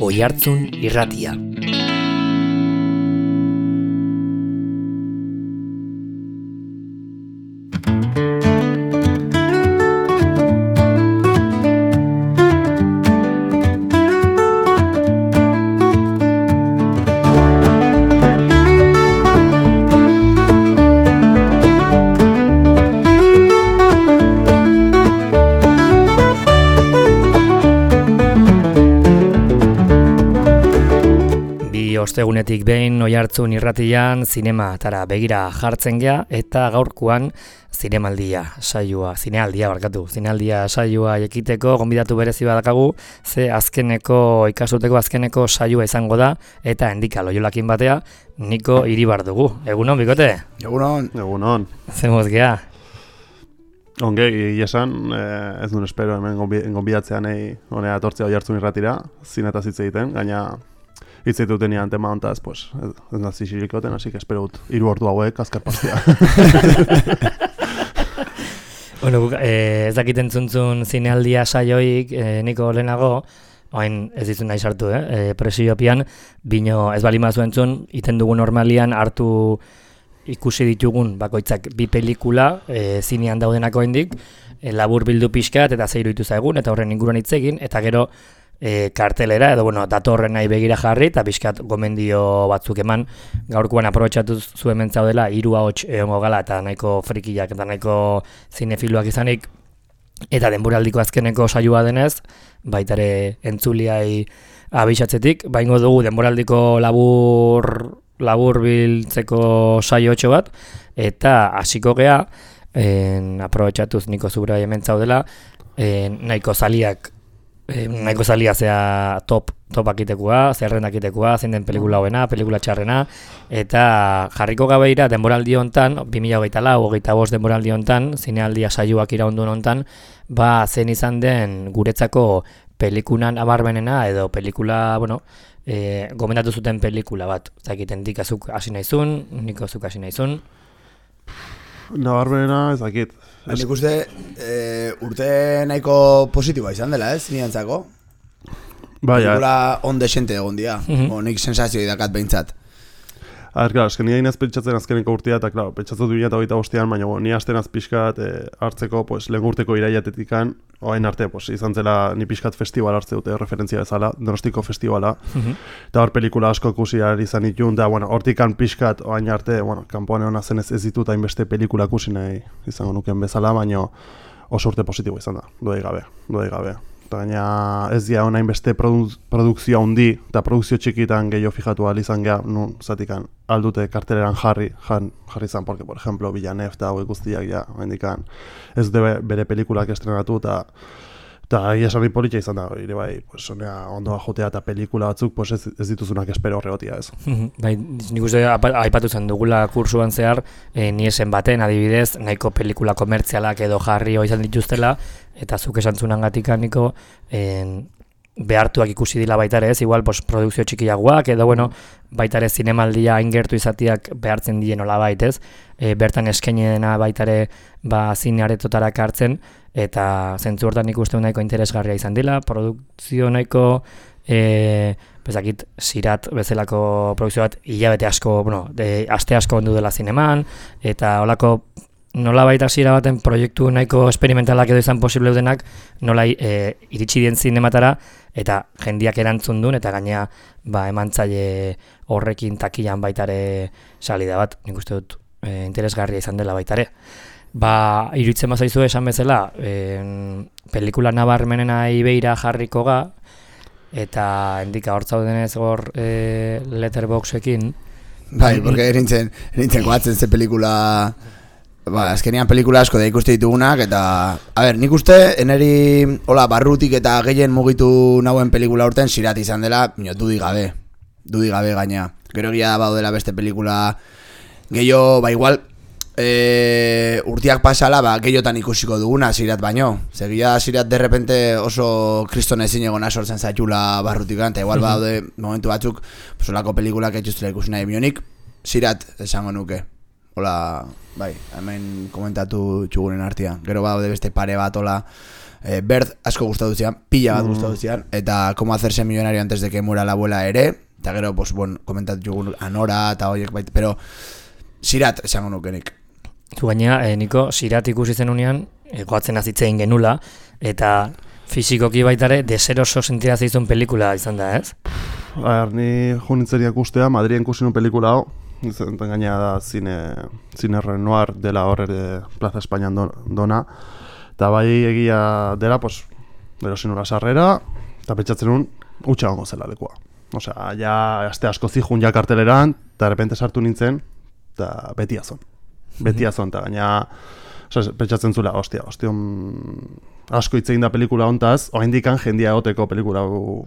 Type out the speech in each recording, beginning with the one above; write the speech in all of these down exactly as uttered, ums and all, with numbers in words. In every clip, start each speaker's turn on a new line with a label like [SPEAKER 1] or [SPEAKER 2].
[SPEAKER 1] Oihartzun Irratia. Ostegunetik behin Oihartzun Irratian zinematara begira jartzen gea eta gaurkoan zinemaldia saioa, zinealdia barkatu, zinealdia saioa ekiteko gonbidatu berezi badakagu, ze azkeneko ikasturteko azkeneko saioa izango da eta Endika Loiolakin batea Niko Iribar dugu. Egunon, bikote?
[SPEAKER 2] Egunon.
[SPEAKER 3] Egunon.
[SPEAKER 1] Zemuz gea?
[SPEAKER 3] Onge, esan, eh, ez duen espero hemen gonbidatzean nahi honea etortzea Oihartzun Irratira, zinetaz hitz egiten, gaina hitz egiten nian tema hontaz, pues, ez, ez nazi xirikoten, así que espero dut hiru ordu hauek azkar pastea.
[SPEAKER 1] Bueno, eh, ez dakiten zuntzun zinealdia saioik, eh, Niko lehenago, oain ez dizun nahi sartu, eh? eh presiopian, bino ez bali mazuen zuen, iten dugu normalian hartu ikusi ditugun bakoitzak bi pelikula eh, zinean daudenako hendik, eh, labur bildu pixkat eta zeiru ditu zaigun, eta horren inguruan hitz egin, eta gero E, kartelera, edo bueno, datorren nahi begira jarri eta bizkat gomendio batzuk eman. Gaurkoan aprobetxatu zuen mentzaudela hiru ahots egongo gala eta nahiko frikiak eta nahiko zinefiluak izanik, eta denboraldiko azkeneko saioa denez baitare entzuliai abixatzetik baingo dugu denboraldiko labur labur biltzeko saiotxo bat eta hasiko gea en, aprobetxatuz Niko zura mentzaudela en, nahiko zaliak E, nahiko zalia zea top, top akitekoa, zerren akitekoa, zein den pelikula hoena, pelikula txarrena, eta jarriko gabeira denboraldi hontan, bi mila hogeita lau, hogeita bost denboraldi hontan, zinealdia saioak iraundun hontan, ba zen izan den guretzako pelikunan abarmenena edo pelikula, bueno, e, gomendatu zuten pelikula bat, zakiten dikazuk hasi nahizun, Niko zuk hasi nahizun.
[SPEAKER 3] Nabarmenena ez dakit.
[SPEAKER 2] Nik uste e, urte nahiko positiboa izan dela, ez, niantzako?
[SPEAKER 3] Bai,
[SPEAKER 2] pelikula on desente egon dia,
[SPEAKER 1] mm-hmm.
[SPEAKER 2] o nik sensazio idakat behintzat.
[SPEAKER 3] A ber, claro, esken nire inaz pentsatzen azkeneko urtea, eta, claro, pentsatzen du eta hogeita bostean, baina bo, ni asten az pixkat e, hartzeko, pues, lehen urteko iraiatetikan, oain arte, pues, izan zela ni pixkat festival hartze dute, referentzia bezala, Donostiko festivala,
[SPEAKER 1] Mm-hmm.
[SPEAKER 3] eta hor pelikula asko ikusi ahal izan itun, da, bueno, hortikan pixkat, oain arte, bueno, kanpoan egon zen ez, ez ditut hainbeste pelikula ikusi nahi izango nuken bezala, baina oso urte positibo izan da, duei gabe, duei gabe. Eta gaina ez dira honain beste produ produkzio handi eta produkzio txikitan gehiago fijatu ahal izan geha, nun, zatikan, aldute karteleran jarri, jan, jarri izan, porque, por ejemplo, Villanef eta hauek guztiak, ja, hendikan, ez dute bere pelikulak estrenatu, eta eta egia esan politxa izan da, ere bai, pues, honea, ondoa jotea eta pelikula batzuk, pues, ez, ez dituzunak espero horregotia, ez.
[SPEAKER 1] Bai, nik uste aipatu zen dugula kursuan zehar, e, niesen baten adibidez, nahiko pelikula komertzialak edo jarri izan dituztela, eta zuk esan zunangatika Niko, en, behartuak ikusi dila baitare ez, igual pues, produkzio txikiagoak, edo bueno, baitare zinemaldia ingertu izatiak behartzen dien hola baitez, e, bertan eskainena baitare ba, zinearetotarak hartzen, eta zentzu hortan ikusten nahiko interesgarria izan dela, produkzio nahiko, e, bezakit, sirat bezalako produkzio bat hilabete asko, bueno, de, aste asko ondu dela zineman, eta holako nola baita hasiera baten proiektu nahiko esperimentalak edo izan posible denak, nola e, iritsi dien zinematara, eta jendiak erantzun duen, eta gainea ba, emantzaile horrekin takilan baitare salida bat, nik uste dut e, interesgarria izan dela baitare. Ba, iruditzen bazaizu esan bezala, en, pelikula nabarmenena ibeira jarriko ga, eta Endika hortzaudenez hor e, letterboxekin.
[SPEAKER 2] Bai, porque erintzen, erintzen goatzen ze pelikula... Ba, azkenean pelikula asko da ikuste ditugunak, eta... A ber, nik uste, eneri hola, barrutik eta gehien mugitu nauen pelikula urten sirat izan dela, mino, dudi gabe. Dudi gabe gaina. Gero egia da baudela beste pelikula gehiago, ba igual, e, urtiak pasala, ba, gehiotan ikusiko duguna sirat baino. Segia sirat derrepente oso kriston ezin egona sortzen zaitula barrutikan, eta igual baude momentu batzuk, solako pelikulak etxustela ikusi nahi bionik, sirat esango nuke. Hola, bai, hemen komentatu txugunen artean. Gero baude beste pare bat, hola, eh, Bird asko gustatu zian, pila bat
[SPEAKER 3] Mm.
[SPEAKER 2] gustatu zian, eta Cómo hacerse millonario antes de que muera la abuela ere, eta gero, pues, bueno, komentatu jugun Anora eta horiek baita, pero Sirat esango nukenik.
[SPEAKER 1] Zu gaina, eh, niko, Sirat ikusi zenunean, eh, goatzen azitzein genula, eta fisikoki baitare deseroso sentira zeizun pelikula izan da, ez?
[SPEAKER 3] A ber, ni junitzeriak ustea, Madrien ikusi nun pelikula hau, zen gaina da zine, zine Renoir dela hor ere Plaza Espainian do, dona, eta bai egia dela, pues, erosin nula sarrera, eta pentsatzen nun, utxa gongo zela lekua. Osea, ja, aste asko zijun ja karteleran, eta repente sartu nintzen, eta beti azon. Beti azon, eta gaina, osea, pentsatzen zula, ostia, ostia, asko hitz egin da pelikula hontaz, oraindikan jendia egoteko pelikula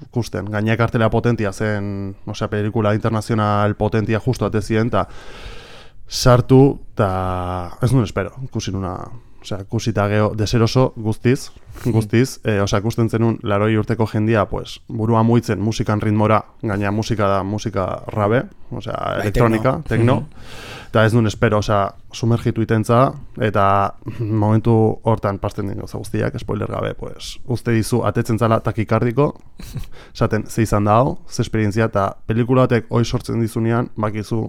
[SPEAKER 3] ikusten. Gaina kartela potentia zen, osea, pelikula internazional potentia justu atezien, eta sartu, eta ez nuen espero, ikusi nuna, osea, ikusita geho deseroso guztiz, guztiz, e, osea, ikusten zenun laroi urteko jendia, pues, burua muitzen musikan ritmora, gaina musika da musika rabe, osea, elektronika, tekno, eta ez nuen espero, osea, sumergitu itentza, eta momentu hortan pasten den gauza guztiak, spoiler gabe, pues, uste dizu atetzen zala takikardiko, esaten, ze izan da hau, ze esperientzia, eta pelikula batek hoi sortzen dizunean, bakizu,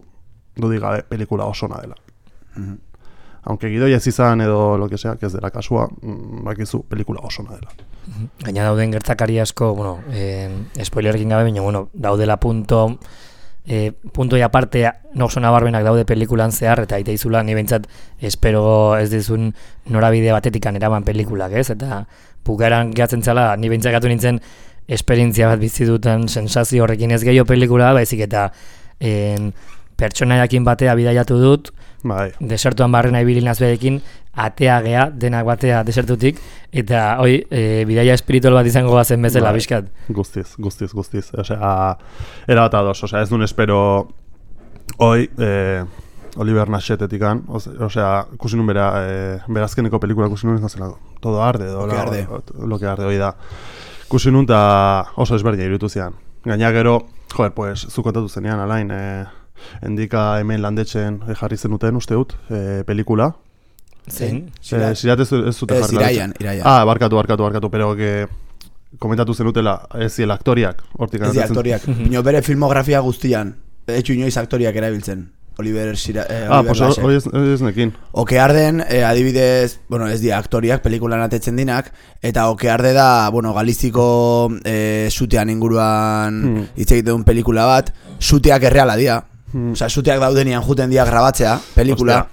[SPEAKER 3] dudik gabe, pelikula osona dela.
[SPEAKER 2] Mhm.
[SPEAKER 3] Aunque gidoia ez izan edo lo que sea, que ez dela kasua, bakizu pelikula osona dela.
[SPEAKER 1] Gaina dauden gertakari asko, bueno, eh, spoilerkin gabe, baina, bueno, daudela punto, eh, punto y aparte, no oso nabarmenak daude pelikulan zehar, eta aite izula, ni behintzat, espero ez dizun norabide batetikan eraman pelikulak, ez? Eta bukaeran gehatzen zala, ni behintzat gatu nintzen, esperientzia bat bizi duten sensazio horrekin ez gehiago pelikula, baizik eta eh, pertsonaiakin batea bidaiatu dut,
[SPEAKER 3] Bai.
[SPEAKER 1] desertuan barrena ibili nazbeekin, atea gea, denak batea desertutik, eta hoi, e, bidaia espiritual bat izango bazen bezala,
[SPEAKER 3] Bai.
[SPEAKER 1] bizkat.
[SPEAKER 3] Guztiz, guztiz, guztiz. Osea, era bat ados, osea, ez duen espero hoi, eh, Oliver Nashetetikan, osea, ikusi nun bera, eh, berazkeneko pelikula ikusi nun ez zela, todo arde, edo,
[SPEAKER 2] Lo que arde.
[SPEAKER 3] lo que arde, hoi da. Ikusi nun eta oso ezberdina iruditu zian. Gaina gero, joder, pues, zu kontatu zenean, alain, eh, endika hemen landetzen jarri zenuten, uste dut, eh, pelikula.
[SPEAKER 1] Zein?
[SPEAKER 3] Eh, Sirat ez, ez zute
[SPEAKER 2] Ez,
[SPEAKER 3] jarri
[SPEAKER 2] iraian,
[SPEAKER 3] landetzen.
[SPEAKER 2] iraian.
[SPEAKER 3] Ah, barkatu, barkatu, barkatu, pero que komentatu zenutela, ez ziela aktoriak, hortik
[SPEAKER 2] Ez di
[SPEAKER 3] ateratzen-
[SPEAKER 2] aktoriak. Bino bere filmografia guztian, etxu inoiz aktoriak erabiltzen. Oliver Sira, eh,
[SPEAKER 3] Ah,
[SPEAKER 2] Oliver
[SPEAKER 3] pues
[SPEAKER 2] Laschet.
[SPEAKER 3] hori ez, ez nekin.
[SPEAKER 2] Okearden, eh, adibidez, bueno, ez dira aktoriak, pelikulan atetzen dinak, eta Okearde da, bueno, Galiziko eh, sutean inguruan
[SPEAKER 3] Hmm.
[SPEAKER 2] hitz egiten duen pelikula bat, suteak erreala dira.
[SPEAKER 3] Hmm.
[SPEAKER 2] Osea, suteak daudenian juten dira grabatzea, pelikula,
[SPEAKER 3] Ostia.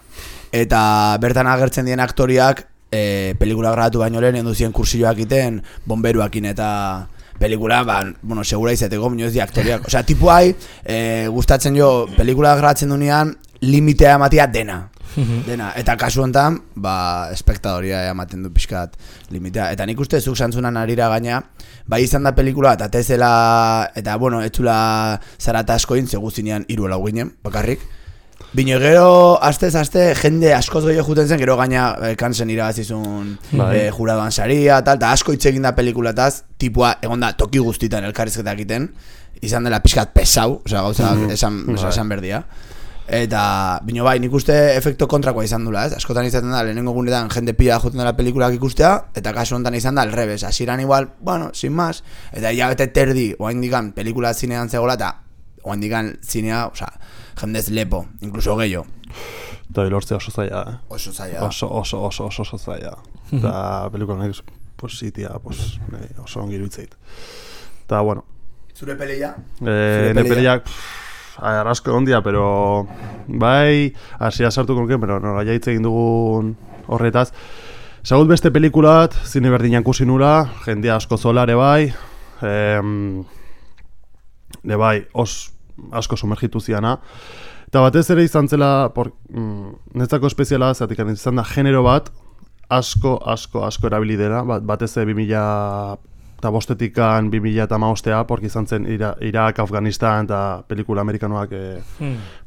[SPEAKER 2] eta bertan agertzen dien aktoriak, eh, pelikula grabatu baino lehen, enduzien kursioak iten, bomberuakin eta pelikula, ba, bueno, segura izateko, minio ez di aktoriak. Osea, tipu hai, eh, gustatzen jo, pelikula grabatzen dunean, limitea ematia dena. Dena, eta kasu honetan, ba, espektadoria ematen du pixkat limitea. Eta nik uste zuk santzunan arira gaina, bai izan da pelikula, eta tezela, eta bueno, etzula zarata asko intze guztinean hiru lau ginen, bakarrik. Bino gero, astez aste, jende askoz gehiago juten zen, gero gaina eh, kansen irabazizun
[SPEAKER 3] Bai.
[SPEAKER 2] eh, juradoan saria, tal, eta asko hitz egin da pelikulataz, tipua, egon da, toki guztitan elkarrizketak egiten, izan dela pixkat pesau, osea, gauza esan,
[SPEAKER 3] Bai.
[SPEAKER 2] esan berdia. Eta, bino bai, nik uste efekto kontrakoa izan dula, ez? Askotan izaten da, lehenengo gunetan jende pila joten dela pelikulak ikustea, eta kasu honetan izan da, alrebes, hasieran igual, bueno, sin más, eta hilabete terdi, oain dikan, pelikula zinean zegoela, eta oain dikan zinea, osea, jendez lepo, incluso gehiago.
[SPEAKER 3] Eta hori lortzea oso zaila, eh?
[SPEAKER 2] Oso zaila da.
[SPEAKER 3] Oso, oso, oso, oso, oso zaila. Eta pelikula nahi, pues, zitia, pues, nahi, oso ongi iruditzeit. Eta, bueno,
[SPEAKER 2] Zure pelia?
[SPEAKER 3] eh, ne peliak, arrasko ondia, pero bai, hasia sartuko nuke, pero nola jaitze egin dugun horretaz. Zagut beste pelikula bat, zine berdinan kusi nula, jendea asko zolare bai, em, ne bai, os, asko sumergitu ziana. Eta batez ere izan zela, por, mm, netzako espeziala, zatik izan da genero bat, asko, asko, asko erabili dela, bat, batez ere bi mila eta bostetikan bi mila eta hamabostea, porque izan zen Ira, Irak, Afganistan eta pelikula amerikanoak eh,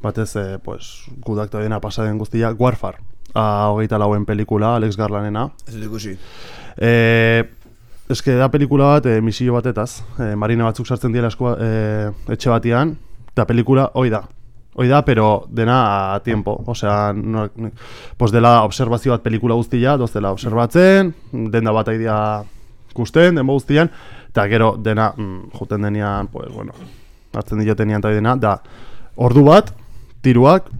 [SPEAKER 3] batez, eh, pues, gudakta dena pasaden guztia, Warfare, a, hogeita lauen pelikula, Alex Garlandena.
[SPEAKER 2] Ez dut ikusi.
[SPEAKER 3] Eh, eske da pelikula bat, eh, misio batetaz, eh, marina batzuk sartzen dira eskoa, eh, etxe batian, eta pelikula hoi da. Hoi da, pero dena a tiempo. Osea, no, pues dela observazio bat pelikula guztia, doz dela observatzen, denda bat aidea kusten, denbo guztian, eta gero dena mm, juten denean, pues bueno, hartzen diotenean eta dena, da ordu bat, tiruak,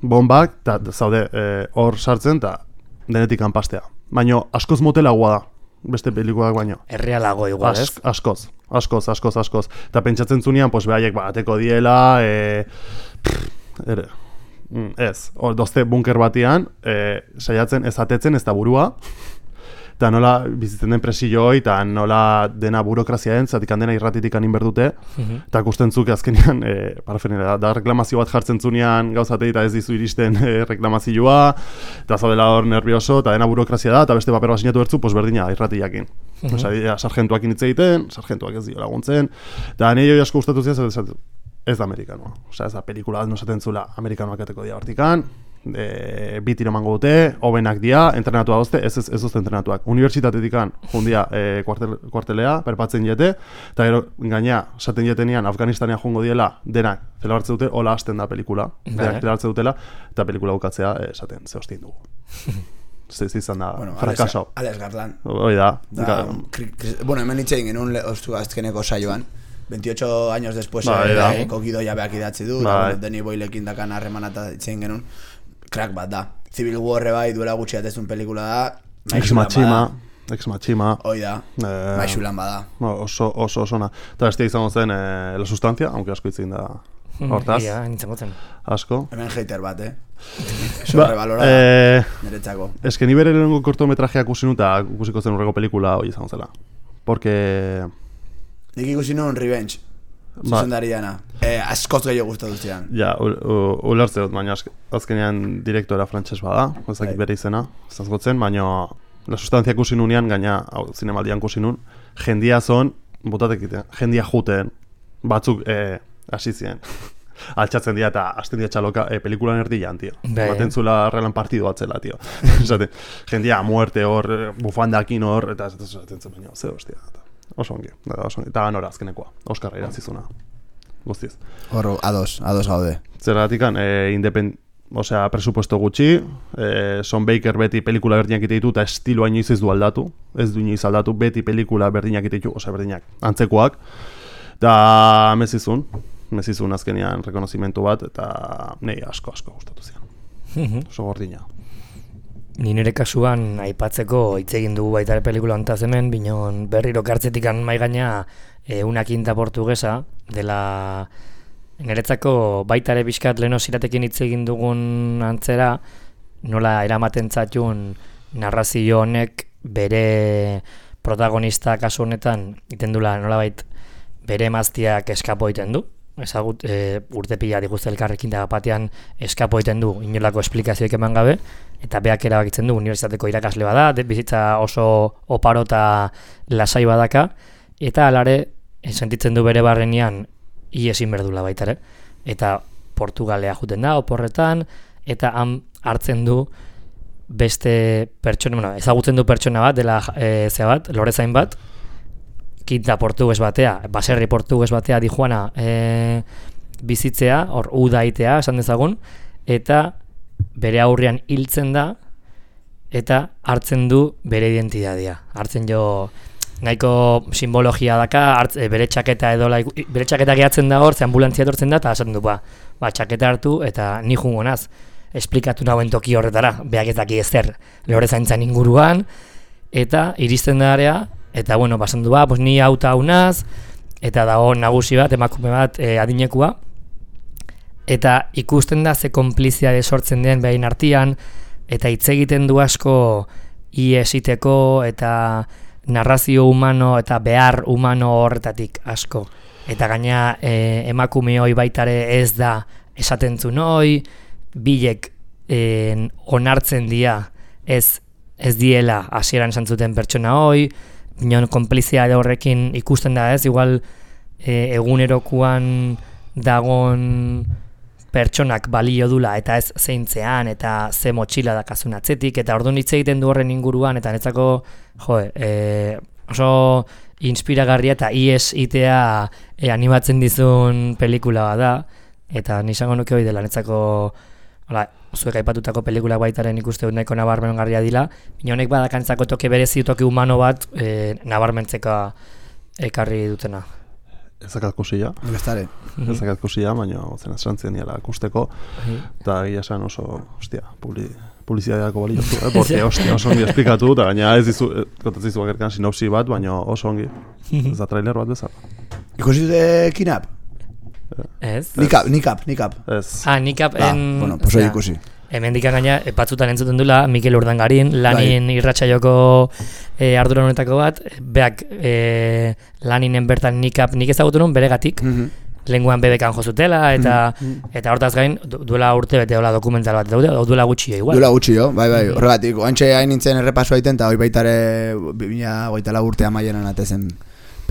[SPEAKER 3] bombak, eta zaude hor sartzen, eta denetik kanpastea. Baina askoz motelagoa da, beste pelikulak baino.
[SPEAKER 1] Errealago igual, ez?
[SPEAKER 3] As, askoz, askoz, askoz, askoz. Eta pentsatzen zunean, pues behaiek bateko diela, e, pff, ere, mm, ez, hor dozte bunker batean, e, saiatzen ez atetzen ez da burua, eta nola bizitzen den presio hoi, eta nola dena burokrazia den, zatik dena irratitik anin berdute, eta kusten zuk azkenean, e, parafenera, da reklamazio bat jartzen zunean gauzatei eta ez dizu iristen e, reklamazioa, eta zaudela hor nervioso, eta dena burokrazia da, eta beste paper bat sinatu bertzu, pues berdina irratiakin. Uh-huh. Osa, sargentuakin hitz egiten, sargentuak ez dio laguntzen, eta nahi hori asko gustatu ziren, ez, ez da amerikanoa. Osa, ez da pelikula, no esaten zula amerikanoak ateko dia hortikan, e, bi tiro mango dute, hobenak dia, entrenatua dozte, ez ez, ez dozte entrenatuak. Unibertsitatetikan jundia e, kuartel, kuartelea, perpatzen jete, eta gero gaina, esaten jetenean, Afganistanean jungo diela, denak, zela hartze dute, hola hasten da pelikula, denak zela hartze dutela, eta pelikula bukatzea, e, esaten, ze hostien dugu. Ez izan da, bueno, frakaso.
[SPEAKER 2] Alex Garland.
[SPEAKER 3] Hoi da.
[SPEAKER 2] da kri, kri, bueno, hemen hitz egin genuen ostu azkeneko saioan, veintiocho años después,
[SPEAKER 3] ba,
[SPEAKER 2] eh, kogido jabeak idatzi du, ba, bueno, Danny Boylekin dakan harremana eta hitz egin genuen, crack bat da. Civil War bai duela gutxi atezun pelikula da,
[SPEAKER 3] Ex Machima, Ex Machima.
[SPEAKER 2] Hoi da, eh, maixulan bada.
[SPEAKER 3] Oso, oso, oso ona. Eta bestia izango zen eh, La Sustancia, aunque asko hitz egin da hortaz.
[SPEAKER 1] Ia, nintzen gotzen.
[SPEAKER 3] Asko.
[SPEAKER 2] Hemen hater bat, eh? Sobrevalorada,
[SPEAKER 3] eh,
[SPEAKER 2] niretzako.
[SPEAKER 3] Ez que ni bere lehenengo kortometrajeak ikusi nu eta ikusiko zen urreko pelikula hoi izango zela. Porque...
[SPEAKER 2] Nik ikusi nuen Revenge, zuzendariana. Eh, askoz gehiago gustatu zian.
[SPEAKER 3] Ja, ulertze dut, baina azkenean direktora frantses bada, ez dakit bere izena, ez gotzen, baina La Sustancia ikusi nunean, gaina, hau, zinemaldian ikusi nun, jendia zon, botatek iten, jendia juten, batzuk eh, hasi ziren. Altxatzen dira eta hasten dira txaloka e, pelikulan erdian, tio. Baten zula relan partidu atzela, tio. Esate, jendia muerte hor, bufandakin hor, eta esaten zen baina, ze hostia. Oso ongi, oso ongi. Eta ganora azkenekoa, Oskarra irazizuna. Guztiz.
[SPEAKER 2] Hor, ados, ados gaude.
[SPEAKER 3] Zergatikan, e, independ... Osea, presupuesto gutxi, e, Son Baker beti pelikula berdinak ite ditu eta estiloa inoiz ez du aldatu. Ez du inoiz aldatu, beti pelikula berdinak ite ditu, osea, berdinak, antzekoak. Eta mezizun. Mezizun azkenean rekonozimentu bat, eta nahi asko asko gustatu zian. Oso gordina.
[SPEAKER 1] Ni nire kasuan aipatzeko hitz egin dugu baita ere pelikula hontaz hemen, binon berriro kartzetikan mai gaina e, una quinta portuguesa dela niretzako baita ere bizkat leno ziratekin hitz egin dugun antzera, nola eramaten zaitun narrazio honek bere protagonista kasu honetan iten dula nolabait bere emaztiak eskapo egiten du. Ezagut, e, urte pila diguzte elkarrekin da batean eskapo egiten du, inolako esplikazioik eman gabe, eta beak erabakitzen du, unibertsitateko irakasle bada, de, bizitza oso oparo eta lasai badaka, eta alare, sentitzen du bere barrenean, iesin berdula baita ere, eta Portugalea juten da, oporretan, eta han hartzen du beste pertsona, bueno, ezagutzen du pertsona bat, dela e, zea bat, lorezain bat, Quinta portugues batea, baserri portugues batea dijuana e, bizitzea, hor udaitea esan dezagun, eta bere aurrean hiltzen da, eta hartzen du bere identitatea. Hartzen jo nahiko simbologia daka, hartz, e, bere txaketa edo la, bere txaketa gehatzen da hor, ze ambulantzia etortzen da, eta esaten du, ba, ba txaketa hartu, eta ni jungo naz, esplikatu nauen toki horretara, beak ez daki ezer lorezaintzan inguruan, eta iristen da area, eta bueno, basandu ba, pues ni auta haunaz, eta dago nagusi bat, emakume bat e, adinekua, eta ikusten da ze konplizia sortzen den behin artean, eta hitz egiten du asko iesiteko eta narrazio humano eta behar humano horretatik asko. Eta gaina e, emakume hoi baitare ez da esaten zuen hoi, bilek e, onartzen dia ez, ez diela hasieran esan zuten pertsona hoi, binon konplizia horrekin ikusten da ez, igual e, egunerokuan dagon pertsonak balio dula eta ez zeintzean eta ze motxila dakazun atzetik, eta orduan hitz egiten du horren inguruan, eta netzako jo, e, oso inspiragarria eta ies itea e, animatzen dizun pelikula da, eta nisango nuke hori dela, netzako, hola, zuek aipatutako pelikulak baitaren ikuste dut nahiko nabarmengarria dila, baina honek badakantzako toke berezi, toke humano bat e, nabarmentzeka ekarri dutena.
[SPEAKER 3] Ezakat kusila.
[SPEAKER 2] Gaztare.
[SPEAKER 3] Ezakat kusila, baina zen esantzen niela kusteko, eta egia esan oso, hostia, publi, publizidadeako bali jozu, eh? Porque, hostia, oso ongi esplikatu, eta gaina ez dizu, kontatzen dizu bakarkan sinopsi bat, baina oso ongi. Ez da trailer bat bezala.
[SPEAKER 2] Ikusi dute Kinap?
[SPEAKER 1] Ez?
[SPEAKER 2] Nikap, nikap, nikap.
[SPEAKER 3] Ez.
[SPEAKER 1] Ah, nikap
[SPEAKER 2] Ah,
[SPEAKER 1] en...
[SPEAKER 2] bueno, pues hori ikusi.
[SPEAKER 1] Hemen dikan gaina, batzutan entzuten dula, Mikel Urdangarin, lanin irratsaioko e, ardura honetako bat, beak e, laninen bertan nikap nik ezagutu nun beregatik,
[SPEAKER 2] Mhm.
[SPEAKER 1] lenguan bebekan jozutela, eta eta hortaz gain, du- duela urte bete hola dokumental bat, daude, o duela gutxi igual.
[SPEAKER 2] Duela gutxi jo, bai, bai, horregatik, oantxe hain nintzen errepaso aiten, eta hoi baitare bi mila hogeita lau urte amaieran atezen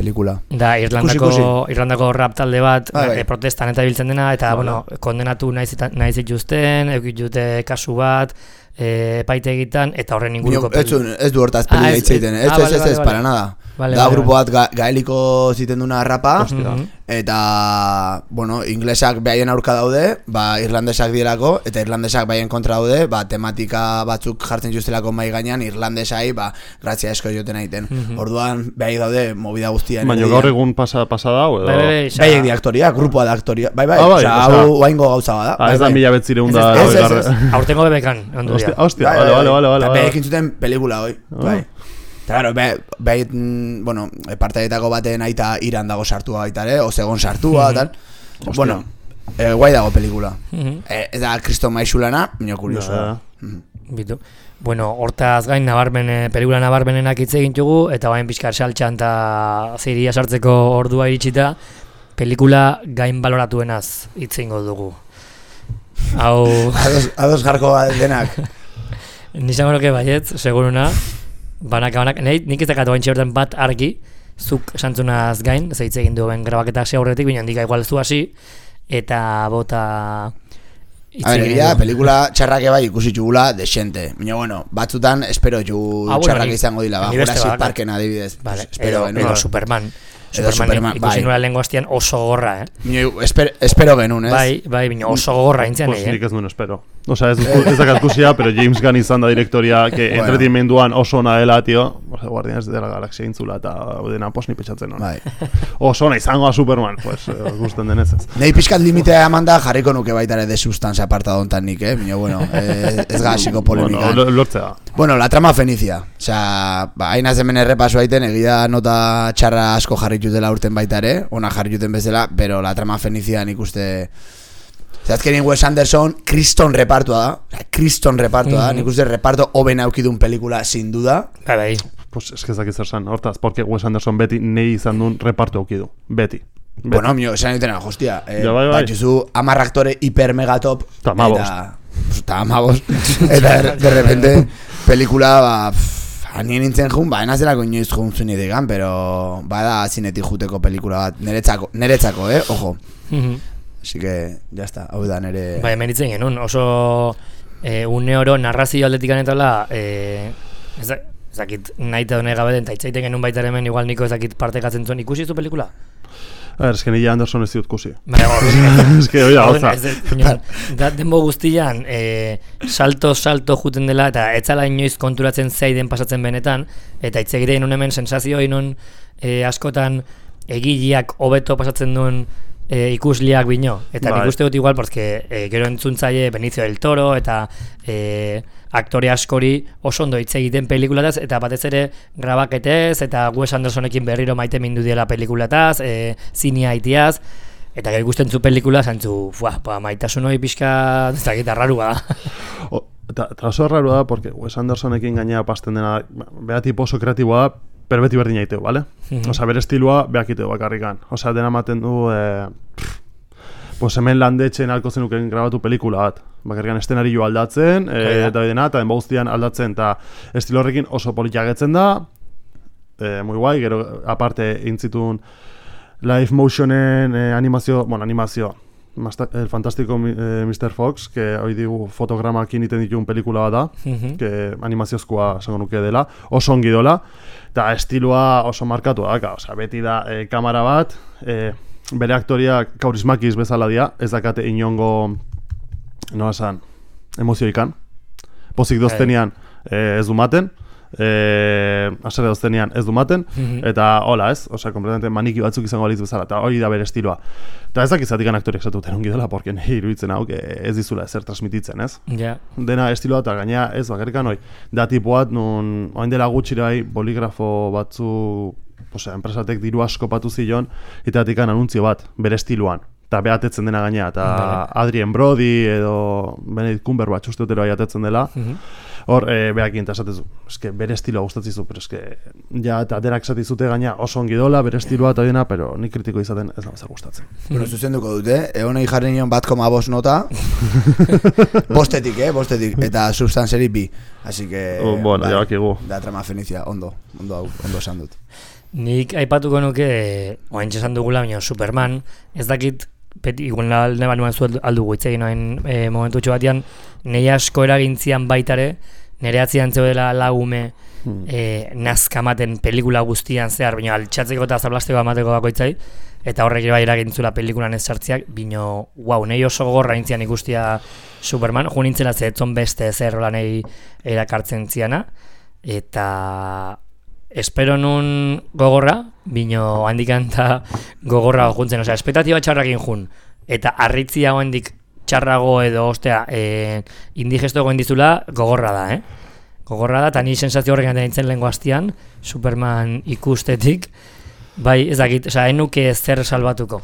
[SPEAKER 2] pelikula.
[SPEAKER 1] Da, Irlandako,
[SPEAKER 2] Ikusi,
[SPEAKER 1] Irlandako rap talde bat,
[SPEAKER 2] Bai, bai.
[SPEAKER 1] e, protestan eta biltzen dena, eta,
[SPEAKER 3] Bai,
[SPEAKER 1] bueno, kondenatu nahi zita- nahi zituzten, eukit dute kasu bat, e, epaitegitan, eta horren inguruko...
[SPEAKER 2] Ez, du- ez du hortaz
[SPEAKER 1] Ah,
[SPEAKER 2] pelila
[SPEAKER 1] ez-
[SPEAKER 2] hitz egiten,
[SPEAKER 1] ez-
[SPEAKER 2] ez,
[SPEAKER 1] ah,
[SPEAKER 2] ez,
[SPEAKER 1] vale,
[SPEAKER 2] ez,
[SPEAKER 1] vale,
[SPEAKER 2] ez,
[SPEAKER 1] vale.
[SPEAKER 2] para nada.
[SPEAKER 1] Vale,
[SPEAKER 2] Da
[SPEAKER 1] vale,
[SPEAKER 2] grupo
[SPEAKER 1] vale.
[SPEAKER 2] bat ga, gaeliko ziten duna rapa,
[SPEAKER 1] Mhm.
[SPEAKER 2] eta, bueno, inglesak behaien aurka daude, ba, irlandesak direlako, eta irlandesak behaien kontra daude, ba, tematika batzuk jartzen justelako mai gainean, irlandesai, ba, grazia esko joten egiten. Orduan, behai daude, movida guztia.
[SPEAKER 3] Baina gaur egun pasa, pasa da, edo?
[SPEAKER 1] Bai, bai, bai, xa-
[SPEAKER 2] Baiek di aktoria, grupoa da aktoria. Bai, bai,
[SPEAKER 3] Ah, bai,
[SPEAKER 2] osea,
[SPEAKER 3] osea-
[SPEAKER 2] hau oaingo gauza bada.
[SPEAKER 3] Ah,
[SPEAKER 2] bai,
[SPEAKER 3] ez da
[SPEAKER 2] bai.
[SPEAKER 3] mila betzireun
[SPEAKER 1] Ez,
[SPEAKER 3] da...
[SPEAKER 2] ez, ez,
[SPEAKER 3] garra-
[SPEAKER 2] ez.
[SPEAKER 1] Aurtengo bebekan, ondu
[SPEAKER 3] Hostia,
[SPEAKER 1] dira.
[SPEAKER 3] hostia,
[SPEAKER 2] Bai,
[SPEAKER 3] vale,
[SPEAKER 2] bai,
[SPEAKER 3] vale,
[SPEAKER 2] bai.
[SPEAKER 3] vale,
[SPEAKER 2] Eta
[SPEAKER 3] vale.
[SPEAKER 2] behekin zuten pelikula hoi.
[SPEAKER 3] Oh.
[SPEAKER 2] Bai. Eta claro, be, be, mm, bueno, partaietako baten aita Iran dago sartua baita ere, ozegon sartua, tal. Bueno, eh, guai dago pelikula.
[SPEAKER 1] Mhm.
[SPEAKER 2] Eh, ez da Kriston Maixulana, baina kurioso.
[SPEAKER 3] Ja.
[SPEAKER 1] Bitu. Bueno, hortaz gain nabarmen, eh, pelikula nabarmenenak hitz egin dugu, eta bain pixkar saltxan eta ziria sartzeko ordua iritsita, pelikula gain baloratuenaz hitz egingo dugu. Hau,
[SPEAKER 2] Ados, ados jarko denak.
[SPEAKER 1] nizango nuke baietz, seguruna, banaka banak, nahi, nik ez dakatu gaintxe horten bat argi, zuk esantzunaz gain, ze hitz egin duen grabaketa hasi aurretik, baina handika igual zu hasi, eta bota... hitz
[SPEAKER 2] A ver,
[SPEAKER 1] egin
[SPEAKER 2] egia,
[SPEAKER 1] dugu.
[SPEAKER 2] pelikula txarrake bai ikusi txugula desente. Baina, bueno, batzutan espero txu
[SPEAKER 1] Ah, bueno,
[SPEAKER 2] txarrake
[SPEAKER 1] ni-
[SPEAKER 2] izango dila, ba,
[SPEAKER 1] ni beste
[SPEAKER 2] Jurassic
[SPEAKER 1] bakat.
[SPEAKER 2] Parken adibidez.
[SPEAKER 1] Vale,
[SPEAKER 2] Pues, espero
[SPEAKER 1] edo,
[SPEAKER 2] genuen.
[SPEAKER 1] edo Superman.
[SPEAKER 2] Edo
[SPEAKER 1] Superman,
[SPEAKER 2] Superman,
[SPEAKER 1] ikusi
[SPEAKER 2] bai.
[SPEAKER 1] nuela lehengo hastian oso gogorra, eh?
[SPEAKER 2] Baina, esper, espero genuen, ez?
[SPEAKER 1] Bai, bai, baina oso gogorra intzian,
[SPEAKER 3] Pues
[SPEAKER 1] eh?
[SPEAKER 3] nik ez duen espero. Osea, ez, ez dakat ikusia, pero James Gunn izan da direktoria, que
[SPEAKER 2] Bueno.
[SPEAKER 3] entretenimenduan oso ona dela, tio. Osea, Guardianes de la Galaxia intzula, eta dena pos ni petxatzen hona.
[SPEAKER 2] Bai.
[SPEAKER 3] Oso ona izango da Superman, pues, eh, gusten denez ez.
[SPEAKER 2] Nei pixkat limitea eman da jarriko nuke baita ere de sustancia aparta dontan nik, eh? Baina, bueno, eh, ez gasiko polemikan.
[SPEAKER 3] Bueno, lo- lortzea.
[SPEAKER 2] Bueno, la trama fenicia. Osea, ba, hainaz hemen errepaso aiten, egia nota txarra asko jarritutela urten baita ere, ona jarrituten bezala, pero la trama fenicia nik uste... Osea, azkenin Wes Anderson, kriston repartua da, osea, kriston repartua da, nik uste reparto hoben aukidun pelikula, sin duda.
[SPEAKER 1] Bai, bai.
[SPEAKER 3] Pues es que ez dakit zer san, hortaz, porque Wes Anderson beti nei izan duen repartu aukidu. Beti. Beti.
[SPEAKER 2] Bueno, mio, esan ditena, hostia, eh,
[SPEAKER 3] Ja, bai, bai.
[SPEAKER 2] batxuzu hamar aktore hiper megatop,
[SPEAKER 3] Ta hamabost.
[SPEAKER 2] eta, eta hamabost, eta de, de repente, pelikula, ba, pff, anien nintzen jun, ba, enazelako inoiz jun zuen idegan, pero, bada zinetik juteko pelikula bat, neretzako, neretzako, eh, ojo.
[SPEAKER 1] Mhm.
[SPEAKER 2] Así que, ya está, hau da nere...
[SPEAKER 1] Bai, hemen hitzen genuen, oso e, une oro narrazio aldetik anetala, e, ez da- ez dakit nahi eta hone gabe den, eta hitzaiten genuen baita hemen igual niko ez dakit partekatzen zuen, ikusi zu pelikula?
[SPEAKER 3] A ver, es que nila Anderson ez diut kusi.
[SPEAKER 1] Bai, hor,
[SPEAKER 3] Es que, oia,
[SPEAKER 1] Orduan,
[SPEAKER 3] gauza.
[SPEAKER 1] ez dut, inon, da denbo guztian e, salto salto juten dela eta etzala inoiz konturatzen zeiden pasatzen benetan, eta hitz egiten nun hemen sensazio inon e, askotan egileak hobeto pasatzen duen e, ikusliak bino, eta
[SPEAKER 3] Bai.
[SPEAKER 1] nik uste dut igual porque e, gero entzuntzaile Benicio del Toro eta e, aktore askori oso ondo hitz egiten pelikulataz, eta batez ere grabaketez eta Wes Andersonekin berriro maite mindu diela pelikulataz, e, zinia itiaz, eta gero ikusten zu pelikula, zantzu, fuah, ba, maitasun hori pixka, ez dakit, arrarua da.
[SPEAKER 3] O, eta, eta oso erraro da, porque Wes Andersonekin gainea pasten dena, bea tipo oso kreatiboa da, pero beti berdin aiteu, vale?
[SPEAKER 1] Mhm.
[SPEAKER 3] Osea, bere estilua beak iteu bakarrikan. Osea, dena ematen du, eh, pff, pues hemen landetxen alko zenuken grabatu pelikula bat. Bakarrikan eszenario aldatzen,
[SPEAKER 1] Hori
[SPEAKER 3] eh,
[SPEAKER 1] da.
[SPEAKER 3] eta dena, eta denba guztian aldatzen, eta estilo horrekin oso polikiagetzen da, eh, muy guai, gero aparte intzitun live motionen eh, animazio, bueno, animazio, Masta, el fantástico eh, mister Fox, que hoy digu fotogramakin iten dituen pelikula bat da,
[SPEAKER 1] Mhm.
[SPEAKER 3] que animaziozkoa esango nuke dela, oso ongi dola, eta estiloa oso markatu da, osea, beti da eh, kamera bat, eh, bere aktoriak kaurismakiz bezala dia, ez dakate inongo, nola esan, emozioikan. Pozik doztenean eh, ez du maten, eh, asere doztenean ez du maten, eta hola ez, osea, kompletamente maniki batzuk izango balitz bezala, eta hori da bere estiloa. Eta ez dakizatikan aktoriak zatuten ongi dela, porque nahi iruditzen hau, ez dizula ezer transmititzen, ez?
[SPEAKER 1] Ja.
[SPEAKER 3] Dena estiloa eta gaina ez bakarrikan hoi, da tipoat, nun, oain dela gutxirai, boligrafo batzu, osea, enpresatek diru asko patu zion, eta atikan anuntzio bat, bere estiloan. Eta behatetzen dena gaina, eta Adrien Brody edo Benedict Cumberbatch uste dutero atetzen dela. Hor, e, behakin eta esatezu, eske bere estiloa gustatzizu, pero eske, ja, eta denak esatizute gaina oso ongi dola, bere estiloa eta dena, pero nik kritiko izaten ez da bezer gustatzen.
[SPEAKER 2] Bueno, zuzenduko dute, egonei jarri nion bat koma bost nota, bostetik, eh, bostetik, eta substantzeri bi. Así que,
[SPEAKER 3] oh, bueno, bai, jabakigu.
[SPEAKER 2] Da trama Fenicia, ondo, ondo hau, ondo esan dut.
[SPEAKER 1] Nik aipatuko nuke, oain esan dugula, baina Superman, ez dakit, Peti, igual ne banuan zu aldugu itzegin noen e, momentutxo batean, nahi asko eragintzian baitare, nire atzian zeudela lagume hmm. e, nazkamaten pelikula guztian zehar, baina altxatzeko eta zablasteko amateko bakoitzai, eta horrek bai eragintzula pelikulan ez sartziak, bino, wow, nahi oso gogorra intzian ikustia Superman, jo nintzela zehetzon beste zerrola nahi erakartzen ziana, eta espero nun gogorra, bino handikan eta gogorra juntzen, osea, espektatiba txarrakin jun, eta arritzia handik txarrago edo, ostea, e, indigesto goen dizula, gogorra da, eh? Gogorra da, eta ni sensazio horrekan nintzen lehenko hastian, Superman ikustetik, bai, ez dakit, osea, enuke ezer salbatuko.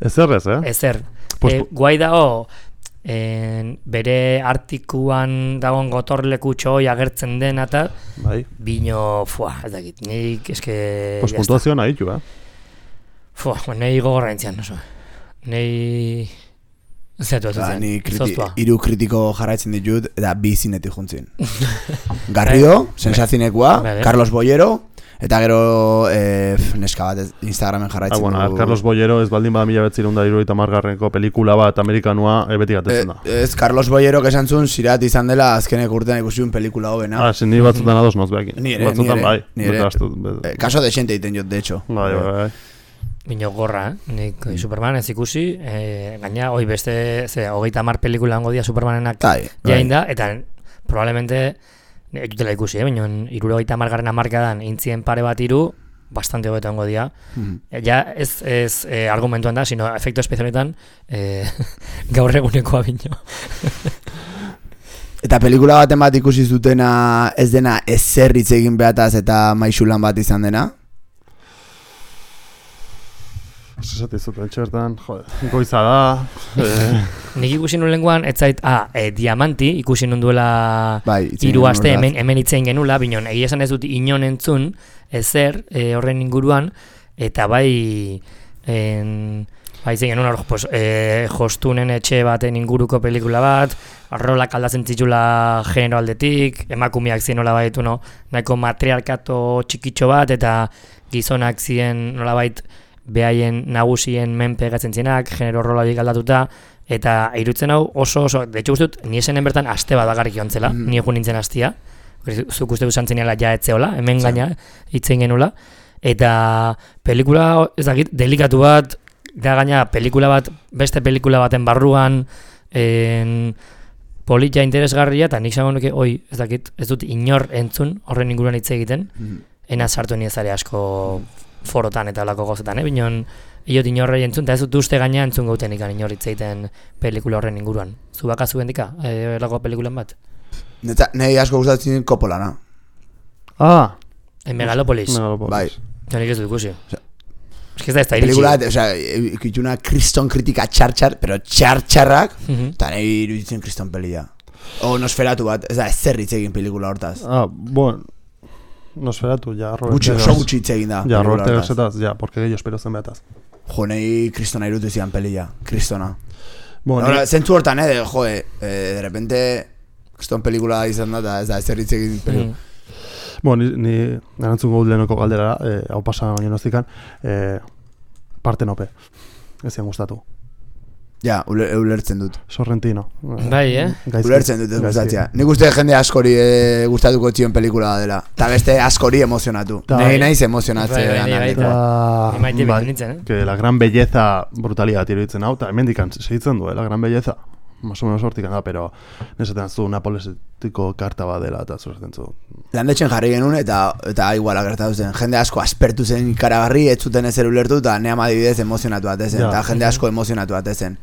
[SPEAKER 3] Ezer ez, eh?
[SPEAKER 1] Ezer.
[SPEAKER 3] Pues,
[SPEAKER 1] e, guai dago, En, bere artikuan dagoen gotorlekutxo hoi agertzen den eta
[SPEAKER 3] bai.
[SPEAKER 1] Bino, fua, ez dakit, nik eske...
[SPEAKER 3] Pues puntuazioa nahi du, eh?
[SPEAKER 1] Fua, nahi gogorra entzian, oso. Nahi... Zeratu
[SPEAKER 2] ba,
[SPEAKER 1] zen,
[SPEAKER 2] ni kriti,
[SPEAKER 1] zoztua.
[SPEAKER 2] Iru kritiko jarraitzen ditut, eta bi zinetik juntzin. Garrido, sensazinekoa, Carlos Bollero, eta gero e, neska bat Instagramen jarraitzen
[SPEAKER 3] ah, bueno,
[SPEAKER 2] du.
[SPEAKER 3] Carlos Bollero ez baldin bada mila betzirun da iruita margarrenko pelikula bat amerikanua e, beti gatetzen da.
[SPEAKER 2] E, ez, Carlos Bollero esan zuen zirat izan dela azkenek urtean ikusiun pelikula hobena.
[SPEAKER 3] Ah, sin ni batzutan ados noz behakin.
[SPEAKER 2] Ni ere,
[SPEAKER 3] batzutan,
[SPEAKER 2] ni ere.
[SPEAKER 3] Bai,
[SPEAKER 2] ni ere.
[SPEAKER 3] Astu,
[SPEAKER 2] eh, kaso de xente iten jot, de hecho.
[SPEAKER 3] Bai, bai, bai.
[SPEAKER 1] Bino gorra, eh? Nik mm. Superman ez ikusi, eh, gaina, hoi beste, ze, hogeita mar pelikula hango dia Supermanenak jain da, eta probablemente, ez dutela ikusi, eh? Bino, irurogeita margarren amarkadan intzien pare bat iru, bastante hobeto hango dia. Mm. Ja, ez, ez eh, argumentuan da, sino efektu espezialetan eh, gaur egunekoa bino.
[SPEAKER 2] Eta pelikula baten bat ikusi zutena ez dena ezer hitz egin behataz eta maixulan bat izan dena?
[SPEAKER 3] Esate zuten txertan, jode, goiza da. Eh.
[SPEAKER 1] Nik ikusi nuen lenguan, ez zait, ah, e, Diamanti ikusi nuen duela
[SPEAKER 2] bai,
[SPEAKER 1] hiru aste hemen, hemen itzein genula, binon, egia esan ez dut inon entzun, ezer, e, horren inguruan, eta bai, en, bai zein genuen, hor, pues, e, jostunen etxe baten inguruko pelikula bat, rolak aldatzen zitula genero aldetik, emakumeak zien nola baitu, no, nahiko matriarkato txikitxo bat, eta gizonak zien nola bait, behaien nagusien menpe gatzen zienak, genero rola horiek aldatuta, eta irutzen hau oso oso, de hecho guztut, ni esenen bertan aste bat bakarrik jontzela, mm. ni egun nintzen hastia, zuk uste duzen zeniala ja etzeola, hemen gaina, itzen genula, eta pelikula, ez dakit, delikatu bat, da gaina pelikula bat, beste pelikula baten barruan, en, politia interesgarria, eta nik zango nuke, oi, ez dakit, ez dut inor entzun, horren inguruan hitz egiten, mm. ena sartu ni ezare asko forotan eta lako gozetan, eh? Binon, iot inorrei entzun, eta ez dut uste gaina entzun gauten ikan inor hitz egiten pelikula horren inguruan. Zu bakazu gendika, eh, lako pelikulan bat?
[SPEAKER 2] Neta, nahi asko gustatzen Coppolana.
[SPEAKER 3] Ah!
[SPEAKER 1] En Megalopolis.
[SPEAKER 3] Megalopolis.
[SPEAKER 2] Bai.
[SPEAKER 1] Ja nik ez dut ikusi. O sea, es que ez da ez da iritsi.
[SPEAKER 2] Pelikula, o sea, ikituna kriston kritika txar-txar, pero txar-txarrak, eta uh -huh. nahi iruditzen kriston pelia. O Nosferatu bat, ez da, ez zer hitz egin pelikula hortaz.
[SPEAKER 3] Ah, bueno... Nosferatu, ja, Robert
[SPEAKER 2] Gutxi, oso gutxi hitz egin da.
[SPEAKER 3] Ja, Robert Egersetaz, ja, porque gehiago espero zen behataz.
[SPEAKER 2] Jo, nahi kristona irutu zian pelia, kristona.
[SPEAKER 3] Bueno,
[SPEAKER 2] Ahora, zentzu hortan, eh, de, jo, eh, de repente, kriston pelikula izan da, ez da, ez zer hitz egin pelikula.
[SPEAKER 3] Mm. Bueno, ni, ni erantzun gaud lehenoko galdera, eh, hau pasa baino noztikan, eh, Partenope, ez zian gustatu.
[SPEAKER 2] Ja, ule- ulertzen dut.
[SPEAKER 3] Sorrentino.
[SPEAKER 1] Bai, eh?
[SPEAKER 3] Gaizki.
[SPEAKER 2] Ulertzen dut ez
[SPEAKER 3] Gaizki.
[SPEAKER 2] gustatzea. Nik uste jende askori e, gustatuko txion pelikula dela. Ta beste askori emozionatu.
[SPEAKER 3] Ta-
[SPEAKER 2] Nei naiz emozionatzen.
[SPEAKER 1] Bai, bai, bai,
[SPEAKER 2] analetan.
[SPEAKER 3] Eta,
[SPEAKER 1] Ni maite
[SPEAKER 3] bai,
[SPEAKER 1] bildu nintzen, eh?
[SPEAKER 3] que la gran belleza brutalitat iruditzen hau, eta hemendikan segitzen du, eh, la gran belleza. Más o menos hortikan da, pero nesaten zu napolesetiko karta bat dela, eta zuratzen zu.
[SPEAKER 2] Landetxen jarri genuen eta eta iguala gertatu zen. Jende asko aspertu zen ikaragarri, ez zuten ezer ulertu eta ne amadibidez emozionatu atezen.
[SPEAKER 3] Ja.
[SPEAKER 2] Eta jende asko emozionatu atezen.